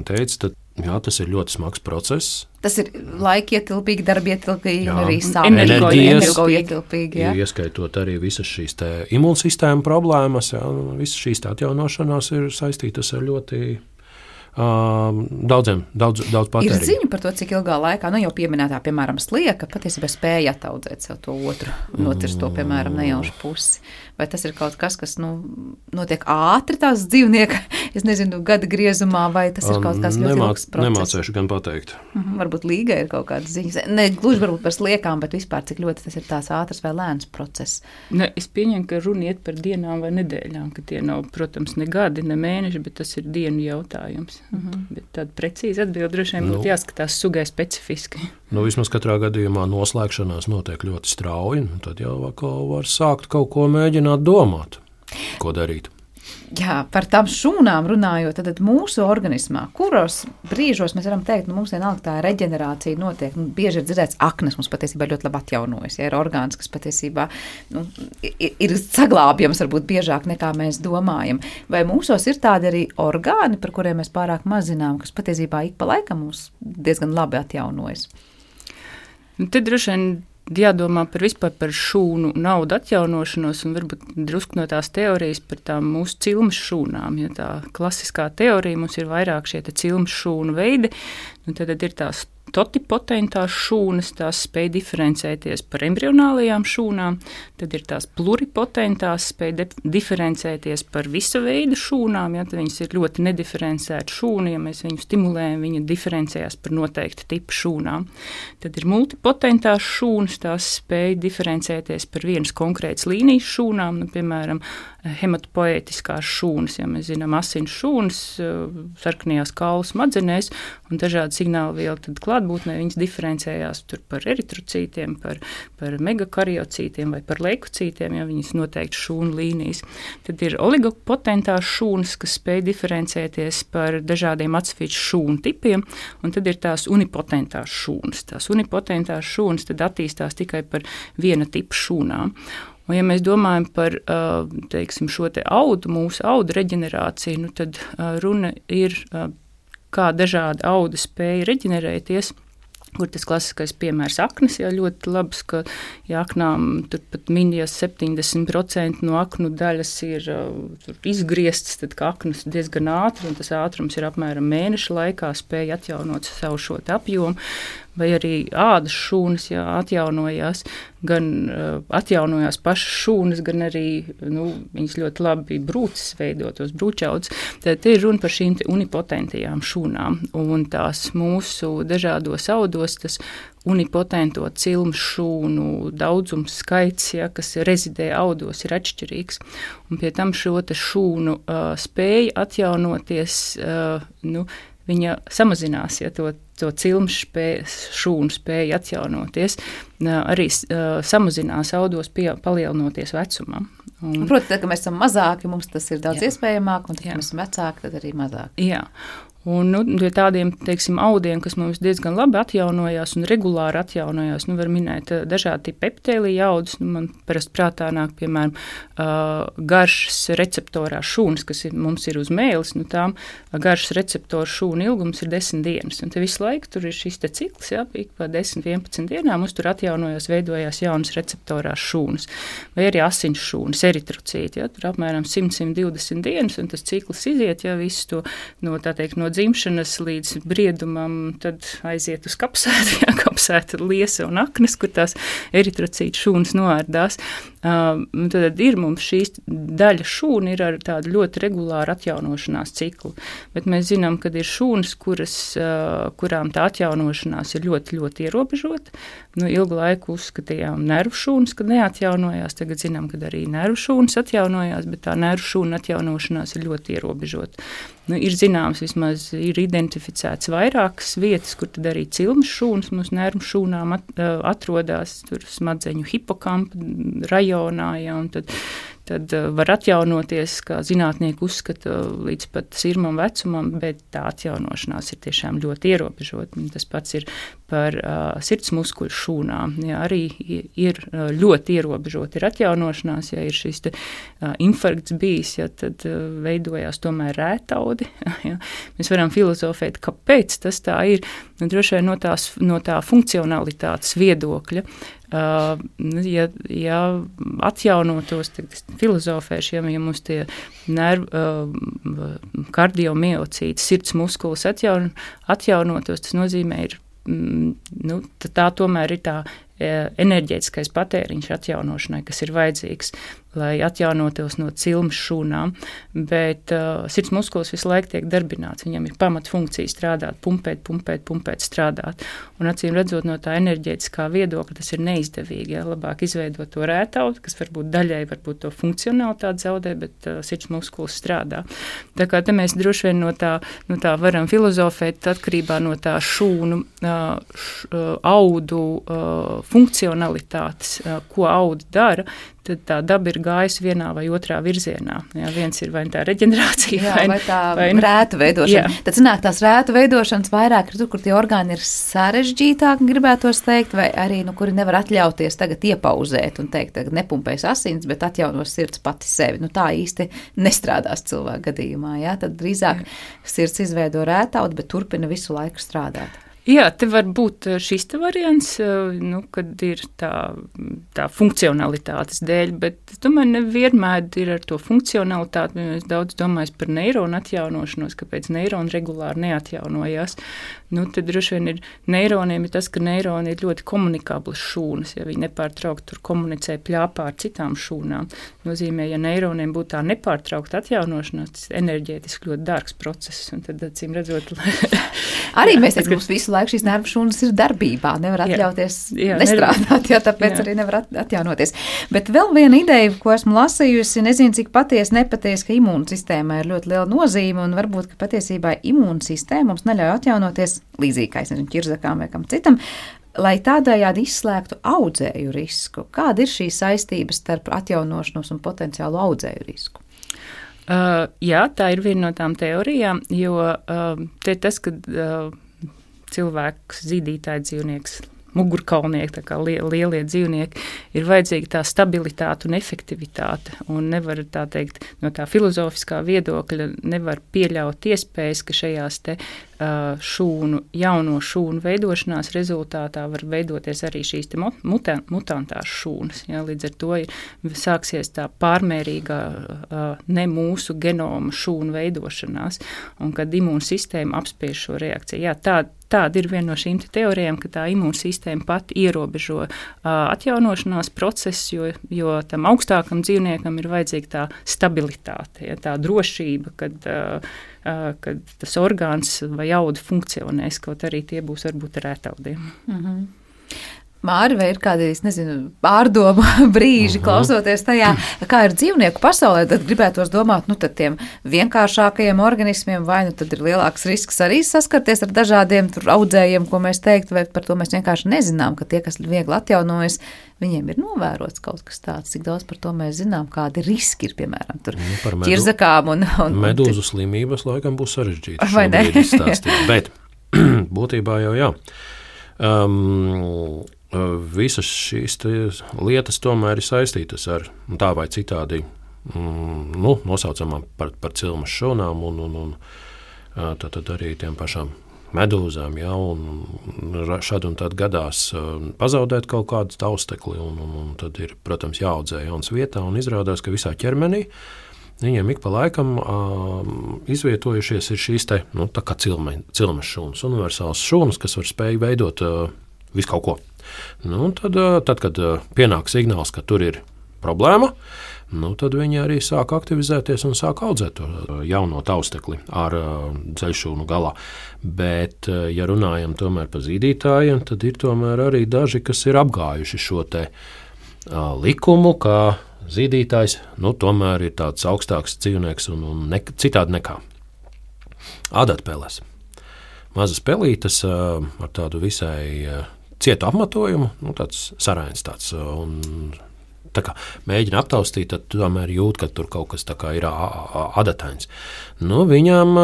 teicu, tad jā, tas ir ļoti smags process. Tas ir laikietilpīgi, darbietilpīgi un arī energoietilpīgi. Ieskaitot arī visas šīs imūnsistēma problēmas, jā, visas šīs atjaunošanās ir saistītas ar ļoti uh, daudziem, daudz, daudz patēriņu. Ir ziņa par to, cik ilgā laikā, nu jau pieminētā, piemēram, slieka, patiesībā spēja attaudzēt sev to otru, notirst to, piemēram, nejaušu pusi. Vai tas ir kaut kas, kas, nu, notiek ātri tās dzīvnieka, es nezinu, gada griezumā, vai tas ir kaut kas ļoti Nemā, ilgs process? Nemācēšu gan pateikt. Mhm, varbūt līga ir kaut kādas ziņas. Ne gluži varbūt par sliekām, bet vispār cik ļoti tas ir tās ātrs vai lēns process. Ne, es pieņemu, ka runa iet par dienām vai nedēļām, ka tie nav, protams, ne gadi, ne mēneši, bet tas ir dienu jautājums. Mhm. Bet tāda precīza atbilde droši vien būtu nu, jāskatās sugai specifiski. Nu, vismaz katrā gadījumā noslēgšanās notiek ļoti strauji, un tad jau var sākt kaut ko mēģināt domāt, ko darīt. Jā, par tām šūnām runājot, tad mūsu organismā, kuros brīžos mēs varam teikt, nu, mums vienalga tā reģenerācija notiek, nu, bieži ir dzirdēts aknas, mums patiesībā ļoti labi atjaunojas, ja ir orgāns, kas patiesībā nu, ir, ir saglābjams varbūt biežāk nekā mēs domājam. Vai mūsos ir tādi arī orgāni, par kuriem mēs pārāk maz zinām, kas patiesībā ik pa laikam mums diezgan labi atjaunojas? Te droši vien jādomā par vispār par šūnu naudu atjaunošanos un varbūt drusku no tās teorijas par tām mūsu cilmes šūnām. Ja tā klasiskā teorija mums ir vairāk šie cilmes šūnu veidi, nu tad ir tās totipotentās šūnas, tās spēj diferencēties par embrionālajām šūnām, tad ir tās pluripotentās, spēj diferencēties par visa veida šūnām, ja viņas ir ļoti nediferencēta šūna, ja mēs viņu stimulējam, viņa diferencējās par noteiktu tipu šūnām. Tad ir multipotentās šūnas, tās spēj diferencēties par vienas konkrētas līnijas šūnām, nu, piemēram, hematopoētiskās šūnas, ja mēs zinām asins šūnas, sarkanajās kaulu smadzenēs un dažādi signālvielu, tad klātbūtnē viņas diferencējās tur par eritrocītiem, par, par megakariocītiem vai par leukocītiem, ja viņas noteikti šūnu līnijas. Tad ir oligopotentās šūnas, kas spēj diferencēties par dažādiem atsevišķu šūnu tipiem, un tad ir tās unipotentās šūnas. Tās unipotentās šūnas tad attīstās tikai par viena tipa šūnām. Un, ja mēs domājam par teiksim, šo te audu, mūsu audu reģenerāciju, nu tad runa ir, kā dažādi audi spēja reģenerēties, kur tas klasiskais piemērs aknas, jā, ļoti labs, ka ja aknām tur pat minijas septiņdesmit procenti no aknu daļas ir uh, izgrieztas, tad ka aknas diezgan ātri, un tas ātrums ir apmēram mēneša laikā, spēja atjaunot savu šo apjomu, vai arī ādas šūnas, jā, atjaunojās, gan uh, atjaunojās pašas šūnas, gan arī, nu, viņas ļoti labi brūces veidotos, brūčaudas. Tad te ir runa par šīm unipotentajām šūnām, un tās mūsu dažādos audos, tas unipotento cilmu šūnu daudzums skaits, ja, kas rezidē audos, ir atšķirīgs. Un pie tam šo te šūnu uh, spēja atjaunoties, uh, nu, viņa samazinās, ja to, to cilmu spēju, šūnu spēja atjaunoties, uh, arī uh, samazinās audos, pie, palielinoties vecumam. Un, Protams, tad, kad mēs esam mazāki, mums tas ir daudz jā. iespējamāk, un tad, Jā. kad mēs esam vecāki, tad arī mazāk. Jā. Un nu, tādiem, teiksim, audiem, kas mums diezgan labi atjaunojās un regulāri atjaunojās, nu, var minēt dažādi tipi epitēlija audus. Nu, man parasti prātā nāk, piemēram, uh, garšas receptorās šūnas, kas ir, mums ir uz mēles, nu, tām garšas receptoru šūnu ilgums ir desmit dienas. Un te visu laiku tur ir šis te cikls, jā, ik pa desmit vienpadsmit dienām mums tur atjaunojās, veidojās jaunas receptorās šūnas. Vai arī asins šūnas, eritrocīti, jā, tur apmēram simt līdz simt divdesmit dienas, un tas cikls iziet, jā, visu to, no, tā teikt, no dzimšanas līdz briedumam, tad aiziet uz kapsētu, jā, kapsēta liesa un aknas, kur tās eritrocītu šūnas noārdās. Uh, tad ir mums šīs daļa šūna ir ar tādu ļoti regulāru atjaunošanās ciklu, bet mēs zinām, ka ir šūnas, kuras, uh, kurām tā atjaunošanās ir ļoti, ļoti ierobežota. Nu, ilgu laiku uzskatījām nervu šūnas, kad neatjaunojās, tagad zinām, ka arī nervu šūnas atjaunojās, bet tā nervu šūna atjaunošanās ir ļoti ierobežota. Nu, ir zināms, vismaz ir identificēts vairākas vietas, kur tad arī cilmes šūnas mūsu nervu šūnām at, atrodas, tur smadzeņu hipokampa rajonā, ja, un tad, tad var atjaunoties, kā zinātnieki uzskata, līdz pat sirmam vecumam, bet tā atjaunošanās ir tiešām ļoti ierobežota. Tas pats ir par uh, sirds muskuļu šūnām. Ja, arī ir uh, ļoti ierobežota ir atjaunošanās, ja ir šis te, uh, infarkts bijis, ja, tad uh, veidojās tomēr rētaudi. Ja. Mēs varam filozofēt, kāpēc tas tā ir. Nu, droši vien no, tās, no tā funkcionalitātes viedokļa. Uh, ja, ja atjaunotos, tad filozofēšu, ja, ja mums tie nervu, uh, kardiomiocīti, sirds muskulis atjaun, atjaunotos, tas nozīmē ir, mm, nu, tā tomēr ir tā enerģētiskais patēriņš atjaunošanai, kas ir vajadzīgs, lai atjaunotos no cilmes šūnām, bet uh, sirds muskulis visu laiku tiek darbināts, viņam ir pamatfunkcija strādāt, pumpēt, pumpēt, pumpēt, strādāt, un acīm redzot no tā enerģētiskā viedokļa, tas ir neizdevīgi, ja, labāk izveidot to rētaudu, kas varbūt daļai varbūt to funkcionalitāti zaudē, bet uh, sirds muskulis strādā. Tā kā te mēs droši vien no tā, no tā varam filozofēt atkarībā no tā šūnu, uh, š, uh, audu uh, funkcionalitātes, uh, ko audi dara, tad tā daba ir gājusi vienā vai otrā virzienā. Jā, viens ir vai tā reģenerācija, jā, vai, vai tā vai, rētu veidošana. Jā. Tad sanāk tās rētu veidošanas vairāk ir tur, kur tie orgāni ir sarežģītāki, gribētos teikt, vai arī, nu, kuri nevar atļauties tagad iepauzēt un teikt, tagad nepumpēs asins, bet atjaunos sirds pati sevi. Nu, tā īsti nestrādās cilvēku gadījumā, jā? Tad drīzāk jā. Sirds izveido rētaudu, bet turpina visu laiku strādāt. Jā, te var būt šis te variants, nu, kad ir tā, tā funkcionalitātes dēļ, bet tomēr nevienmēr ir ar to funkcionalitāti. Es daudz domāju par neironu atjaunošanos, kāpēc neironi regulāri neatjaunojās. Nu, tad droši vien ir neironiem ir tas, ka neironi ir ļoti komunikablas šūnas, ja viņi nepārtraukti tur komunicē pļāpā ar citām šūnām. Nozīmē, ja neironiem būtu tā nepārtraukta atjaunošanās, tas enerģētiski ļoti dārgs process, un tad, acīm redzot, arī mēs teicam, mums visu laiku šīs nervu šūnas ir darbībā, nevar atļauties jā, jā, nestrādāt, jā, tāpēc jā. Arī nevar atjaunoties. Bet vēl viena ideja, ko esmu lasījusi, nezinu, cik patiesi, nepatiesi, ka imūnsistēmai ir ļoti liela nozīme, un varbūt, ka patiesībā imūnsistēma mums neļauj atjaunoties līdzīgi, kā es nezinu, ķirzakām vai kam citam, lai tādējādi izslēgtu audzēju risku. Kāda ir šī saistība starp atjaunošanos un potenciālu audzēju risku? Uh, jā, tā ir viena no tām teorijām, jo uh, te tas, kad uh, cilvēks, zīdītāji dzīvnieks mugurkaulnieki, tā kā lielie dzīvnieki, ir vajadzīga tā stabilitāte un efektivitāte. Un nevar tā teikt, no tā filozofiskā viedokļa nevar pieļaut iespējas, ka šajās te šūnu, jauno šūnu veidošanās rezultātā var veidoties arī šīs te muta, mutantās šūnas. Ja, līdz ar to ir, sāksies tā pārmērīgā ne mūsu genoma šūnu veidošanās, un kad imūnsistēma apspiež šo reakciju. Jā, tā, tāda ir viena no šīm teorijām, ka tā imūnsistēma pat ierobežo uh, atjaunošanās procesu, jo, jo tam augstākam dzīvniekam ir vajadzīga tā stabilitāte, ja, tā drošība, kad, uh, uh, kad tas orgāns vai auda funkcionēs, kaut arī tie būs varbūt rētaudiem. Mhm. Māri, vai ir kādi, es nezinu, pārdomu brīži, klausoties tajā, kā ir dzīvnieku pasaulē, tad gribētos domāt, nu tad tiem vienkāršākajiem organismiem, vai nu tad ir lielāks risks arī saskarties ar dažādiem tur audzējiem, ko mēs teikt, vai par to mēs vienkārši nezinām, ka tie, kas viegli atjaunojas, viņiem ir novērots kaut kas tāds, cik daudz par to mēs zinām, kādi riski ir, piemēram, tur nu, medu, ķirzakām un... un medūzu slimības laikam būs sarežģīti šobrīd izstāstīt, bet būtībā jau jā. Um, Visas šīs lietas tomēr ir saistītas ar tā vai citādi mm, nu, nosaucamām par, par cilmes šūnām un, un, un tad, tad arī tiem pašām medūzām. Ja, un šad un tad gadās pazaudēt kaut kādu taustekli, un, un, un tad ir, protams, jāaudzē jauns vietā, un izrādās, ka visā ķermenī viņiem ik pa laikam uh, izvietojušies ir šīs te, nu, tā kā cilme, cilmes šūnas, universāls šūnas, kas var spēj veidot uh, visu kaut ko. Nu, tad, tad, kad pienāk signāls, ka tur ir problēma, nu, tad viņi arī sāk aktivizēties un sāk audzēt to jauno taustekli ar dzeļšūnu galā. Bet, ja runājam tomēr par zīdītājiem, tad ir tomēr arī daži, kas ir apgājuši šo te likumu, ka zīdītājs nu, tomēr ir tāds augstāks dzīvnieks un, un ne, citādi nekā adatpeles. Mazas pelītes ar tādu visai cietu apmatojumu, nu, tāds sarains tāds, un tā kā mēģina aptaustīt, tad tomēr jūt, ka tur kaut kas tā kā ir adatains. Nu, viņām,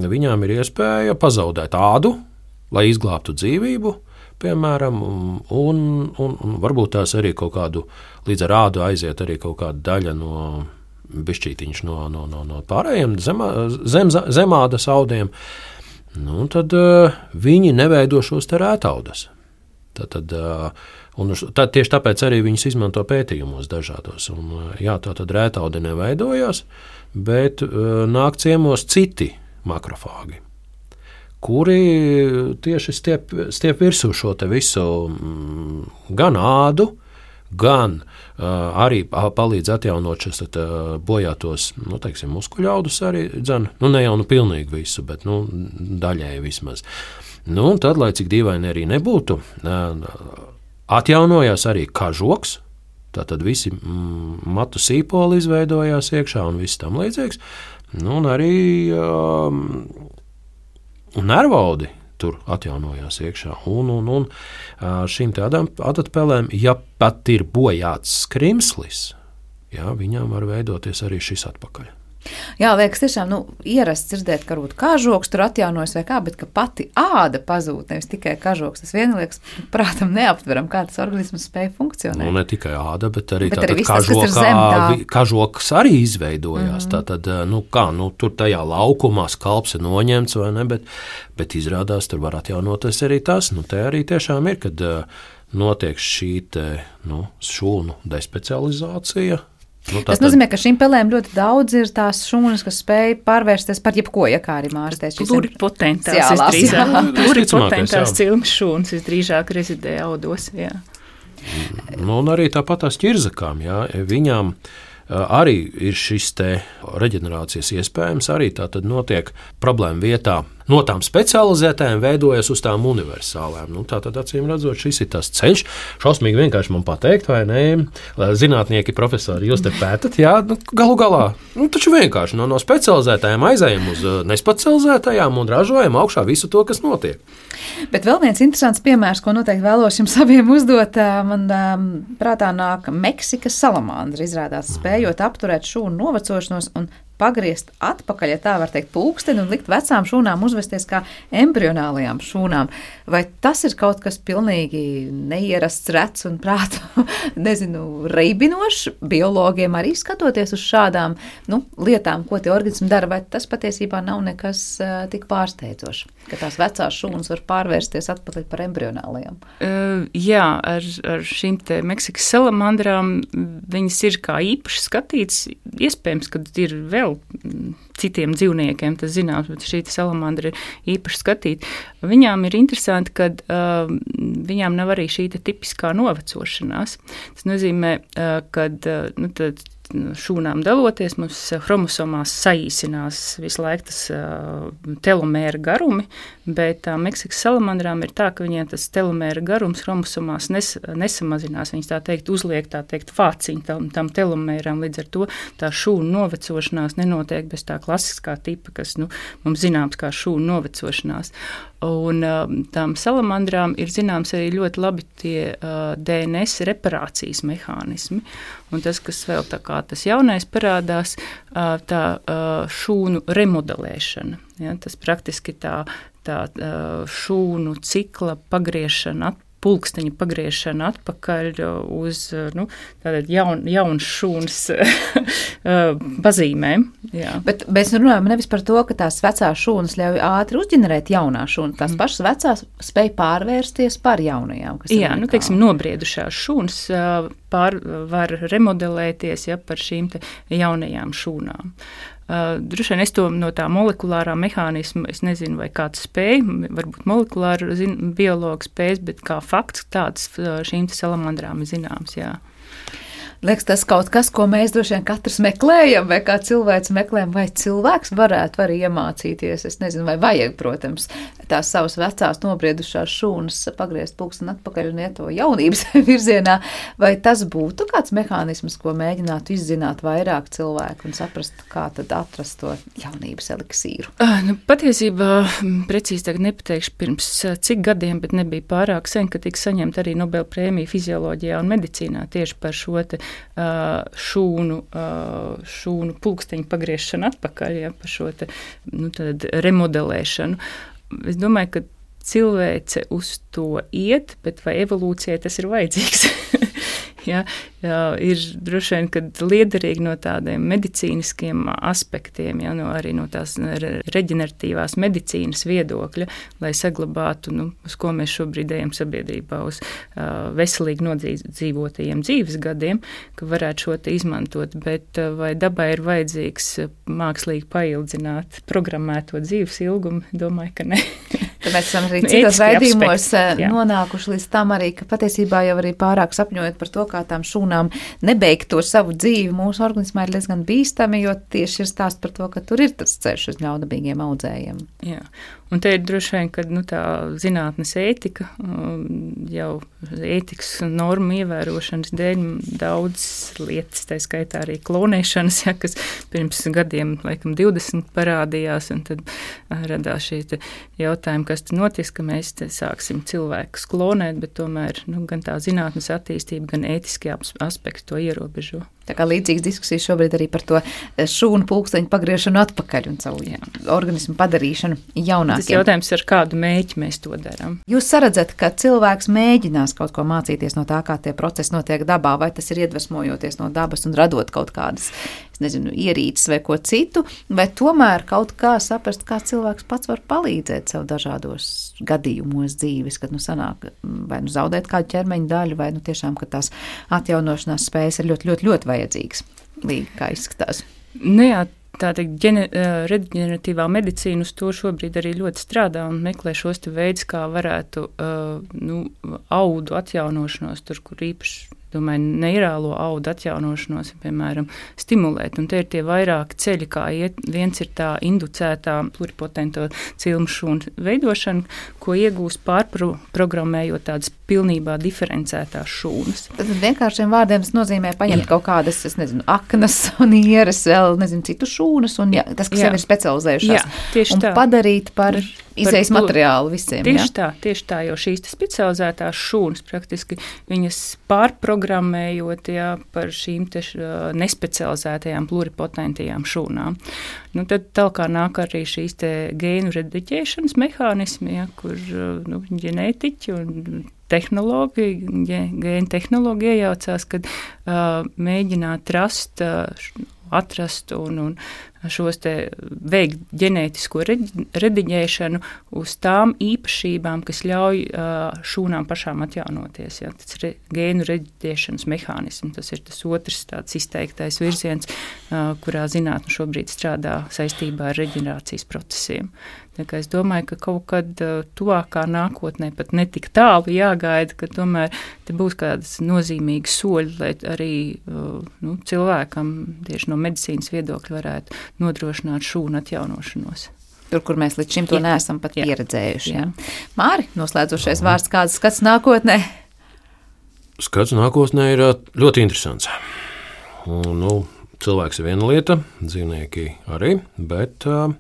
viņām ir iespēja pazaudēt ādu, lai izglābtu dzīvību, piemēram, un, un, un varbūt tās arī kaut kādu, līdz ar ādu aiziet arī kaut kāda daļa no bišķītiņš no, no, no, no pārējiem zemā, zem, zemādas audiem. Nu, tad uh, viņi neveido šos te rētaudas. Tad, tad, uh, un tad tieši tāpēc arī viņus izmanto pētījumos dažādos. Un, uh, jā, tā tad rētaudi neveidojās, bet uh, nāk ciemos citi makrofāgi, kuri tieši stiep, stiep virsū šo te visu mm, gan ādu, gan uh, arī palīdz atjaunot šos uh, bojātos, nu, teiksim, muskuļaudus arī, dzen, nu, ne jau nu pilnīgi visu, bet, nu, daļēji vismaz. Nu, un tad, lai cik dīvaini arī nebūtu, uh, atjaunojās arī kažoks, tātad visi mm, matu sīpoli izveidojās iekšā un viss tam līdzīgs, nu, un arī um, nervaudi tur atjaunojās iekšā. Un, un, un šīm tādām adatpelēm, ja pat ir bojāts skrimslis, jā, viņām var veidoties arī šis atpakaļ. Jā, liekas tiešām, nu, ierasts dzirdēt, ka varbūt kažoks tur atjaunojas vai kā, bet ka pati āda pazūd, nevis tikai kažoks. Tas vien liekas, prātam neaptveram, kā tas organisms spēja funkcionēt. Nu, ne tikai āda, bet arī, bet arī viss, kažokā, tas, zem, tā. kažoks arī izveidojās. Mm-hmm. Tātad, nu kā, nu, tur tajā laukumā skalps ir noņemts vai ne, bet, bet izrādās, tur var atjaunoties arī tas. Nu, te arī tiešām ir, kad uh, notiek šī te, nu, šūnu despecializācija. Nu, tas nozīmē, ka šīm pelēm ļoti daudz ir tās šūnas, kas spēj pārvērsties par jebko, ja kā arī Māris teica. Pluripotentās, pluripotentās cilmes šūnas visdrīzāk rezidē audos. Jā. Nu, un arī tāpat tās ķirzakām, jā, viņām arī ir šis te reģenerācijas iespējams, arī tā tad notiek problēma vietā. No tām specializētājiem veidojas uz tām universālām. Nu, tā tad acīm redzot, šis ir tas ceļš. Šausmīgi vienkārši man pateikt, vai ne? Zinātnieki, profesori, jūs te pētat, jā, nu, galu galā. Nu, taču vienkārši no, no specializētājiem aizējam uz nespecializētājām un ražojam augšā visu to, kas notiek. Bet vēl viens interesants piemērs, ko noteikti vēlos jums abiem uzdot, man prātā nāk Meksikas salamandra, izrādās spējot apturēt šūnu novecošanos un pagriezt atpakaļ, ja tā var teikt, pulksteni un likt vecām šūnām uzvesties kā embrionālajām šūnām. Vai tas ir kaut kas pilnīgi neierasts, rets un prātu, nezinu, reibinošs biologiem arī skatoties uz šādām, nu, lietām, ko tie organismi dara, vai tas patiesībā nav nekas uh, tik pārsteidzošs, ka tās vecās šūnas var pārvērsties atpakaļ par embrionālajām? Uh, jā, ar, ar šīm te Meksikas salamandrām viņas ir kā īpaši skatīts. Iespējams, ka ir vēl citiem dzīvniekiem, tas zināms, bet šī salamandra ir īpaši skatīta. Viņām ir interesanti, ka uh, viņām nav arī šī tipiskā novecošanās. Tas nozīmē, uh, ka uh, nu, tad, šūnām daloties, mums chromosomās saīsinās visu laiku tas uh, telomēra garumi, bet tā Meksikas salamandrām ir tā, ka viņiem tas telomēra garums chromosomās nes, nesamazinās. Viņas tā teikt uzliek tā teikt fāciņu tam, tam telomēram, līdz ar to tā šūnu novecošanās nenotiek bez tā klasiskā tipa, kas nu, mums zināms kā šūnu novecošanās. Un uh, tām salamandrām ir zināms arī ļoti labi tie uh, D N S reparācijas mehānismi. Un tas, kas vēl tā kā tas jaunais parādās, uh, tā uh, šūnu remodelēšana. Ja, tas praktiski tā, tā uh, šūnu cikla pagriešana atpakaļ. Pulksteņa pagriešana atpakaļ uz nu, jaun, jaunas šūnas pazīmēm. Jā. Bet mēs runājam nevis par to, ka tās vecās šūnas ļauj ātri uzģenerēt jaunās šūnas. Tās pašas vecās spēj pārvērsties par jaunajām. Kas Jā, nu, teiksim, nobriedušās šūnas pār, var remodelēties ja, par šīm te jaunajām šūnām. Uh, Droši vien es to no tā molekulārā mehānisma, es nezinu, vai kāds spēj, varbūt molekulāra zin, biologa spējas, bet kā fakts tāds šīm te salamandrām ir zināms, jā. Liekas, tas kaut kas, ko mēs droši vien katrs meklējam, vai kā cilvēks meklējam, vai cilvēks varētu arī iemācīties, es nezinu, vai vajag, protams, tās savas vecās nobriedušās šūnas pagriezt pulksteni atpakaļ un iet to jaunības virzienā, vai tas būtu kāds mehānisms, ko mēģinātu izzināt vairāk cilvēku un saprast, kā tad atrast to jaunības eliksīru? Nu, patiesībā, precīzi tagad nepateikšu pirms cik gadiem, bet nebija pārāk sen, ka tika saņemta arī Nobel prēmija fizioloģijā un medicīnā tieši par šo te šūnu, šūnu pulksteņu pagriešanu atpakaļ, ja, par šo te, nu, tad remodelēšanu. Es domāju, ka cilvēce uz to iet, bet vai evolūcijai tas ir vajadzīgs? Ja, jā, ir droši vien, kad liederīgi no tādiem medicīniskiem aspektiem, ja, no arī no tās reģeneratīvās medicīnas viedokļa, lai saglabātu, nu, uz ko mēs šobrīd ejam sabiedrībā, uz uh, veselīgi nodzīvotajiem dzīves gadiem, ka varētu šo te izmantot, bet uh, vai dabai ir vajadzīgs mākslīgi paildzināt programmēto dzīves ilgumu, domāju, ka ne. Tad mēs esam arī citos raidījumos nonākuši līdz tam arī, ka patiesībā jau arī pārāk sapņojot par to, kā tām šūnām nebeigt to savu dzīvi, mūsu organismā ir diezgan bīstami, jo tieši ir stāsts par to, ka tur ir tas ceļš uz ļaunprātīgiem audzējiem. Jā. Un te ir droši vien, ka nu, tā zinātnes ētika, jau ētikas normu ievērošanas dēļ daudz lietas, tā skaitā arī klonēšanas, ja, kas pirms gadiem, laikam, divdesmit parādījās, un tad radās šī jautājumi, kas te notiks, ka mēs te sāksim cilvēkus klonēt, bet tomēr nu, gan tā zinātnes attīstība, gan ētiskie aspekti to ierobežo. Tā kā līdzīgas diskusijas šobrīd arī par to šūnu pulksteņu pagriešanu atpakaļ un savu jā, organismu padarīšanu jaunākiem. Tas jautājums, ar kādu mēķi mēs to darām. Jūs saredzat, ka cilvēks mēģinās kaut ko mācīties no tā, kā tie procesi notiek dabā, vai tas ir iedvesmojoties no dabas un radot kaut kādas, es nezinu, ierīces vai ko citu, vai tomēr kaut kā saprast, kā cilvēks pats var palīdzēt sev dažādos gadījumos dzīves, kad nu sanāk vai nu zaudēt kādu ķermeņa daļu, vai nu tiešām, ka tās atjaunošanās spējas ir ļoti, ļoti, ļoti vajadzīgas, līdz kā izskatās. Nu jā, tā teikt, reģeneratīvā medicīna uz to šobrīd arī ļoti strādā un meklē šos te veidus, kā varētu uh, nu, audu atjaunošanos, tur, kur īpaši, domāju, neirālo audu atjaunošanos, piemēram, stimulēt. Un te ir tie vairāki ceļi, kā iet. Viens ir tā inducētā pluripotento cilmu šūnu veidošana, ko iegūst pārprogrammējot tādas pilnībā diferencētās šūnas. Tad vienkāršiem vārdiem tas nozīmē paņemt kaut kādas, es nezinu, aknas un ieras, vēl nezinu, citu šūnas, un jā, tas, kas jā. jau ir specializējušās, jā, tieši un tā. padarīt par izējas materiālu visiem. Tieši jā? tā, tieši tā, jo šīs specializētās šūnas praktiski viņas pārprogrammējot jā, par šīm te nespecializētajām pluripotentajām šūnām. Nu, tad tālāk nāk arī šīs te gēnu rediģēšanas mehānismi, ja, kur nu, ģenētiķi un tehnologi, gēnu tehnologi iejaucās, kad uh, mēģināt rast, uh, atrast un, un šos te veikt ģenētisko rediģēšanu uz tām īpašībām, kas ļauj uh, šūnām pašām atjaunoties. Ja. Tas ir gēnu rediģēšanas mehānisms, tas ir tas otrs tāds izteiktais virziens, uh, kurā zinātne šobrīd strādā saistībā ar reģenerācijas procesiem. Tā kā es domāju, ka kaut kad uh, tuvākā nākotnē pat netik tālu jāgaida, ka tomēr te būs kādas nozīmīgas soļi, lai arī uh, nu, cilvēkam tieši no medicīnas viedokļa varētu nodrošināt šūnu atjaunošanos. Tur, kur mēs līdz šim to jā. neesam pat jā. pieredzējuši. Jā. Māri, noslēdzošais vārds, kāds skats nākotnē? Skats nākotnē ir ļoti interesants. Un, nu, cilvēks ir viena lieta, dzīvnieki arī, bet uh,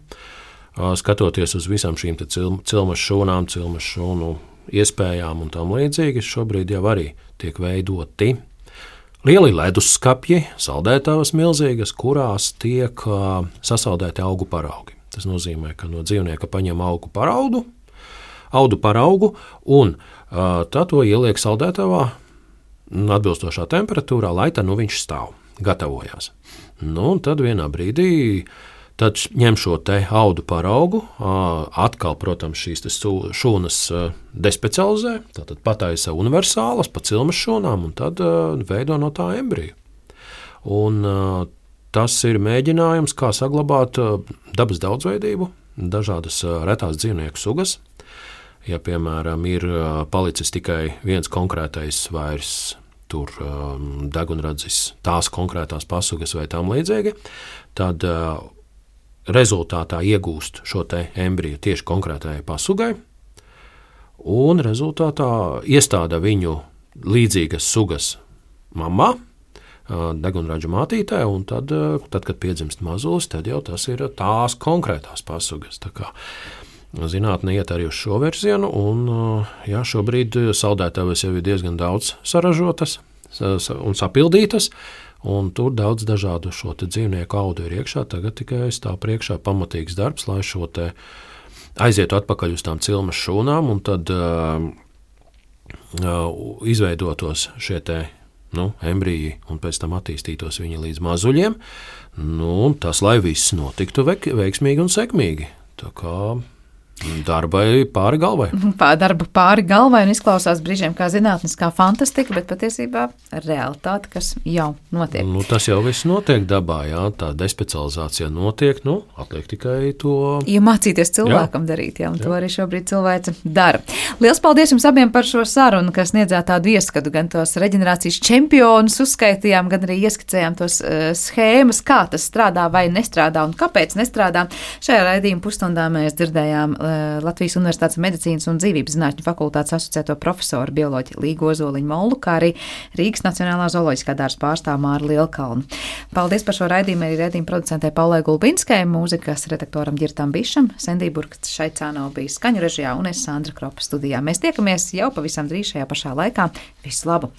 skatoties uz visām šīm cil, cilmes šūnām, cilmes šūnu iespējām un tam līdzīgi, šobrīd jau arī tiek veidoti lieli leduskapji, saldētavas milzīgas, kurās tiek uh, sasaldēti augu paraugi. Tas nozīmē, ka no dzīvnieka paņem augu paraudu, audu paraugu un uh, tad to ieliek saldētavā atbilstošā temperatūrā, lai tā nu viņš stāv, gatavojās. Nu, un tad vienā brīdī tad ņem šo te audu paraugu, atkal, protams, šīs šūnas despecializē, tātad pataisa universālas pa cilmes šūnām un tad veido no tā embriju. Un tas ir mēģinājums, kā saglabāt dabas daudzveidību, dažādas retās dzīvnieku sugas. Ja, piemēram, ir palicis tikai viens konkrētais vairs tur degunradzis, tās konkrētās pasugas vai tam līdzīgi, tad rezultātā iegūst šo te embriju tieši konkrētajai pasugai, un rezultātā iestāda viņu līdzīgas sugas mamā, degunraģu mātītē, un tad, tad, kad piedzimst mazulis, tad jau tas ir tās konkrētās pasugas. Tā kā zinātne iet arī uz šo virzienu, un jā, šobrīd saldētavas jau ir diezgan daudz saražotas un sapildītas, un tur daudz dažādu šo te dzīvnieku audu ir iekšā, tagad tikai stāv priekšā pamatīgs darbs, lai šo te aizietu atpakaļ uz tām cilmes šūnām, un tad uh, uh, izveidotos šie te, nu, embriji, un pēc tam attīstītos viņi līdz mazuļiem, nu, tas, lai viss notiktu veik, veiksmīgi un sekmīgi. Tā kā darbai pāri galvai. Pār darba pāri galvai un izklausās brīžiem kā zinātniskā fantastika, bet patiesībā realitāte, kas jau notiek. Nu, tas jau viss notiek dabā, jā, tā despecializācija notiek, nu, atliek tikai to. Ja mācīties cilvēkam jā. darīt, jā, un jā. to arī šobrīd cilvēce dara. Liels paldies jums abiem par šo sarunu, kas sniedzāt tādu ieskatu, gan tos reģenerācijas čempionus uzskaitījām, gan arī ieskicējām tos uh, schēmas, kā tas strādā vai nestrādā un kāpēc nestrādā. Šajā raidījuma pusstundā mēs dzirdējām uh, Latvijas Universitātes medicīnas un dzīvības zinātņu fakultātes asociēto profesoru bioloģi Līgu Ozoliņu Mollu, kā arī Rīgas Nacionālā zooloģiskā dārza pārstāvu Māru Lielkalnu. Paldies par šo raidījumu arī raidījuma producentei Paulai Gulbinskai, mūzikas redaktoram Ģirtam Bišam, Sendī Burkts Šaicāno bija skaņu režijā un es Sandra Kropa studijā. Mēs tiekamies jau pavisam drīz šajā pašā laikā. Visu labu!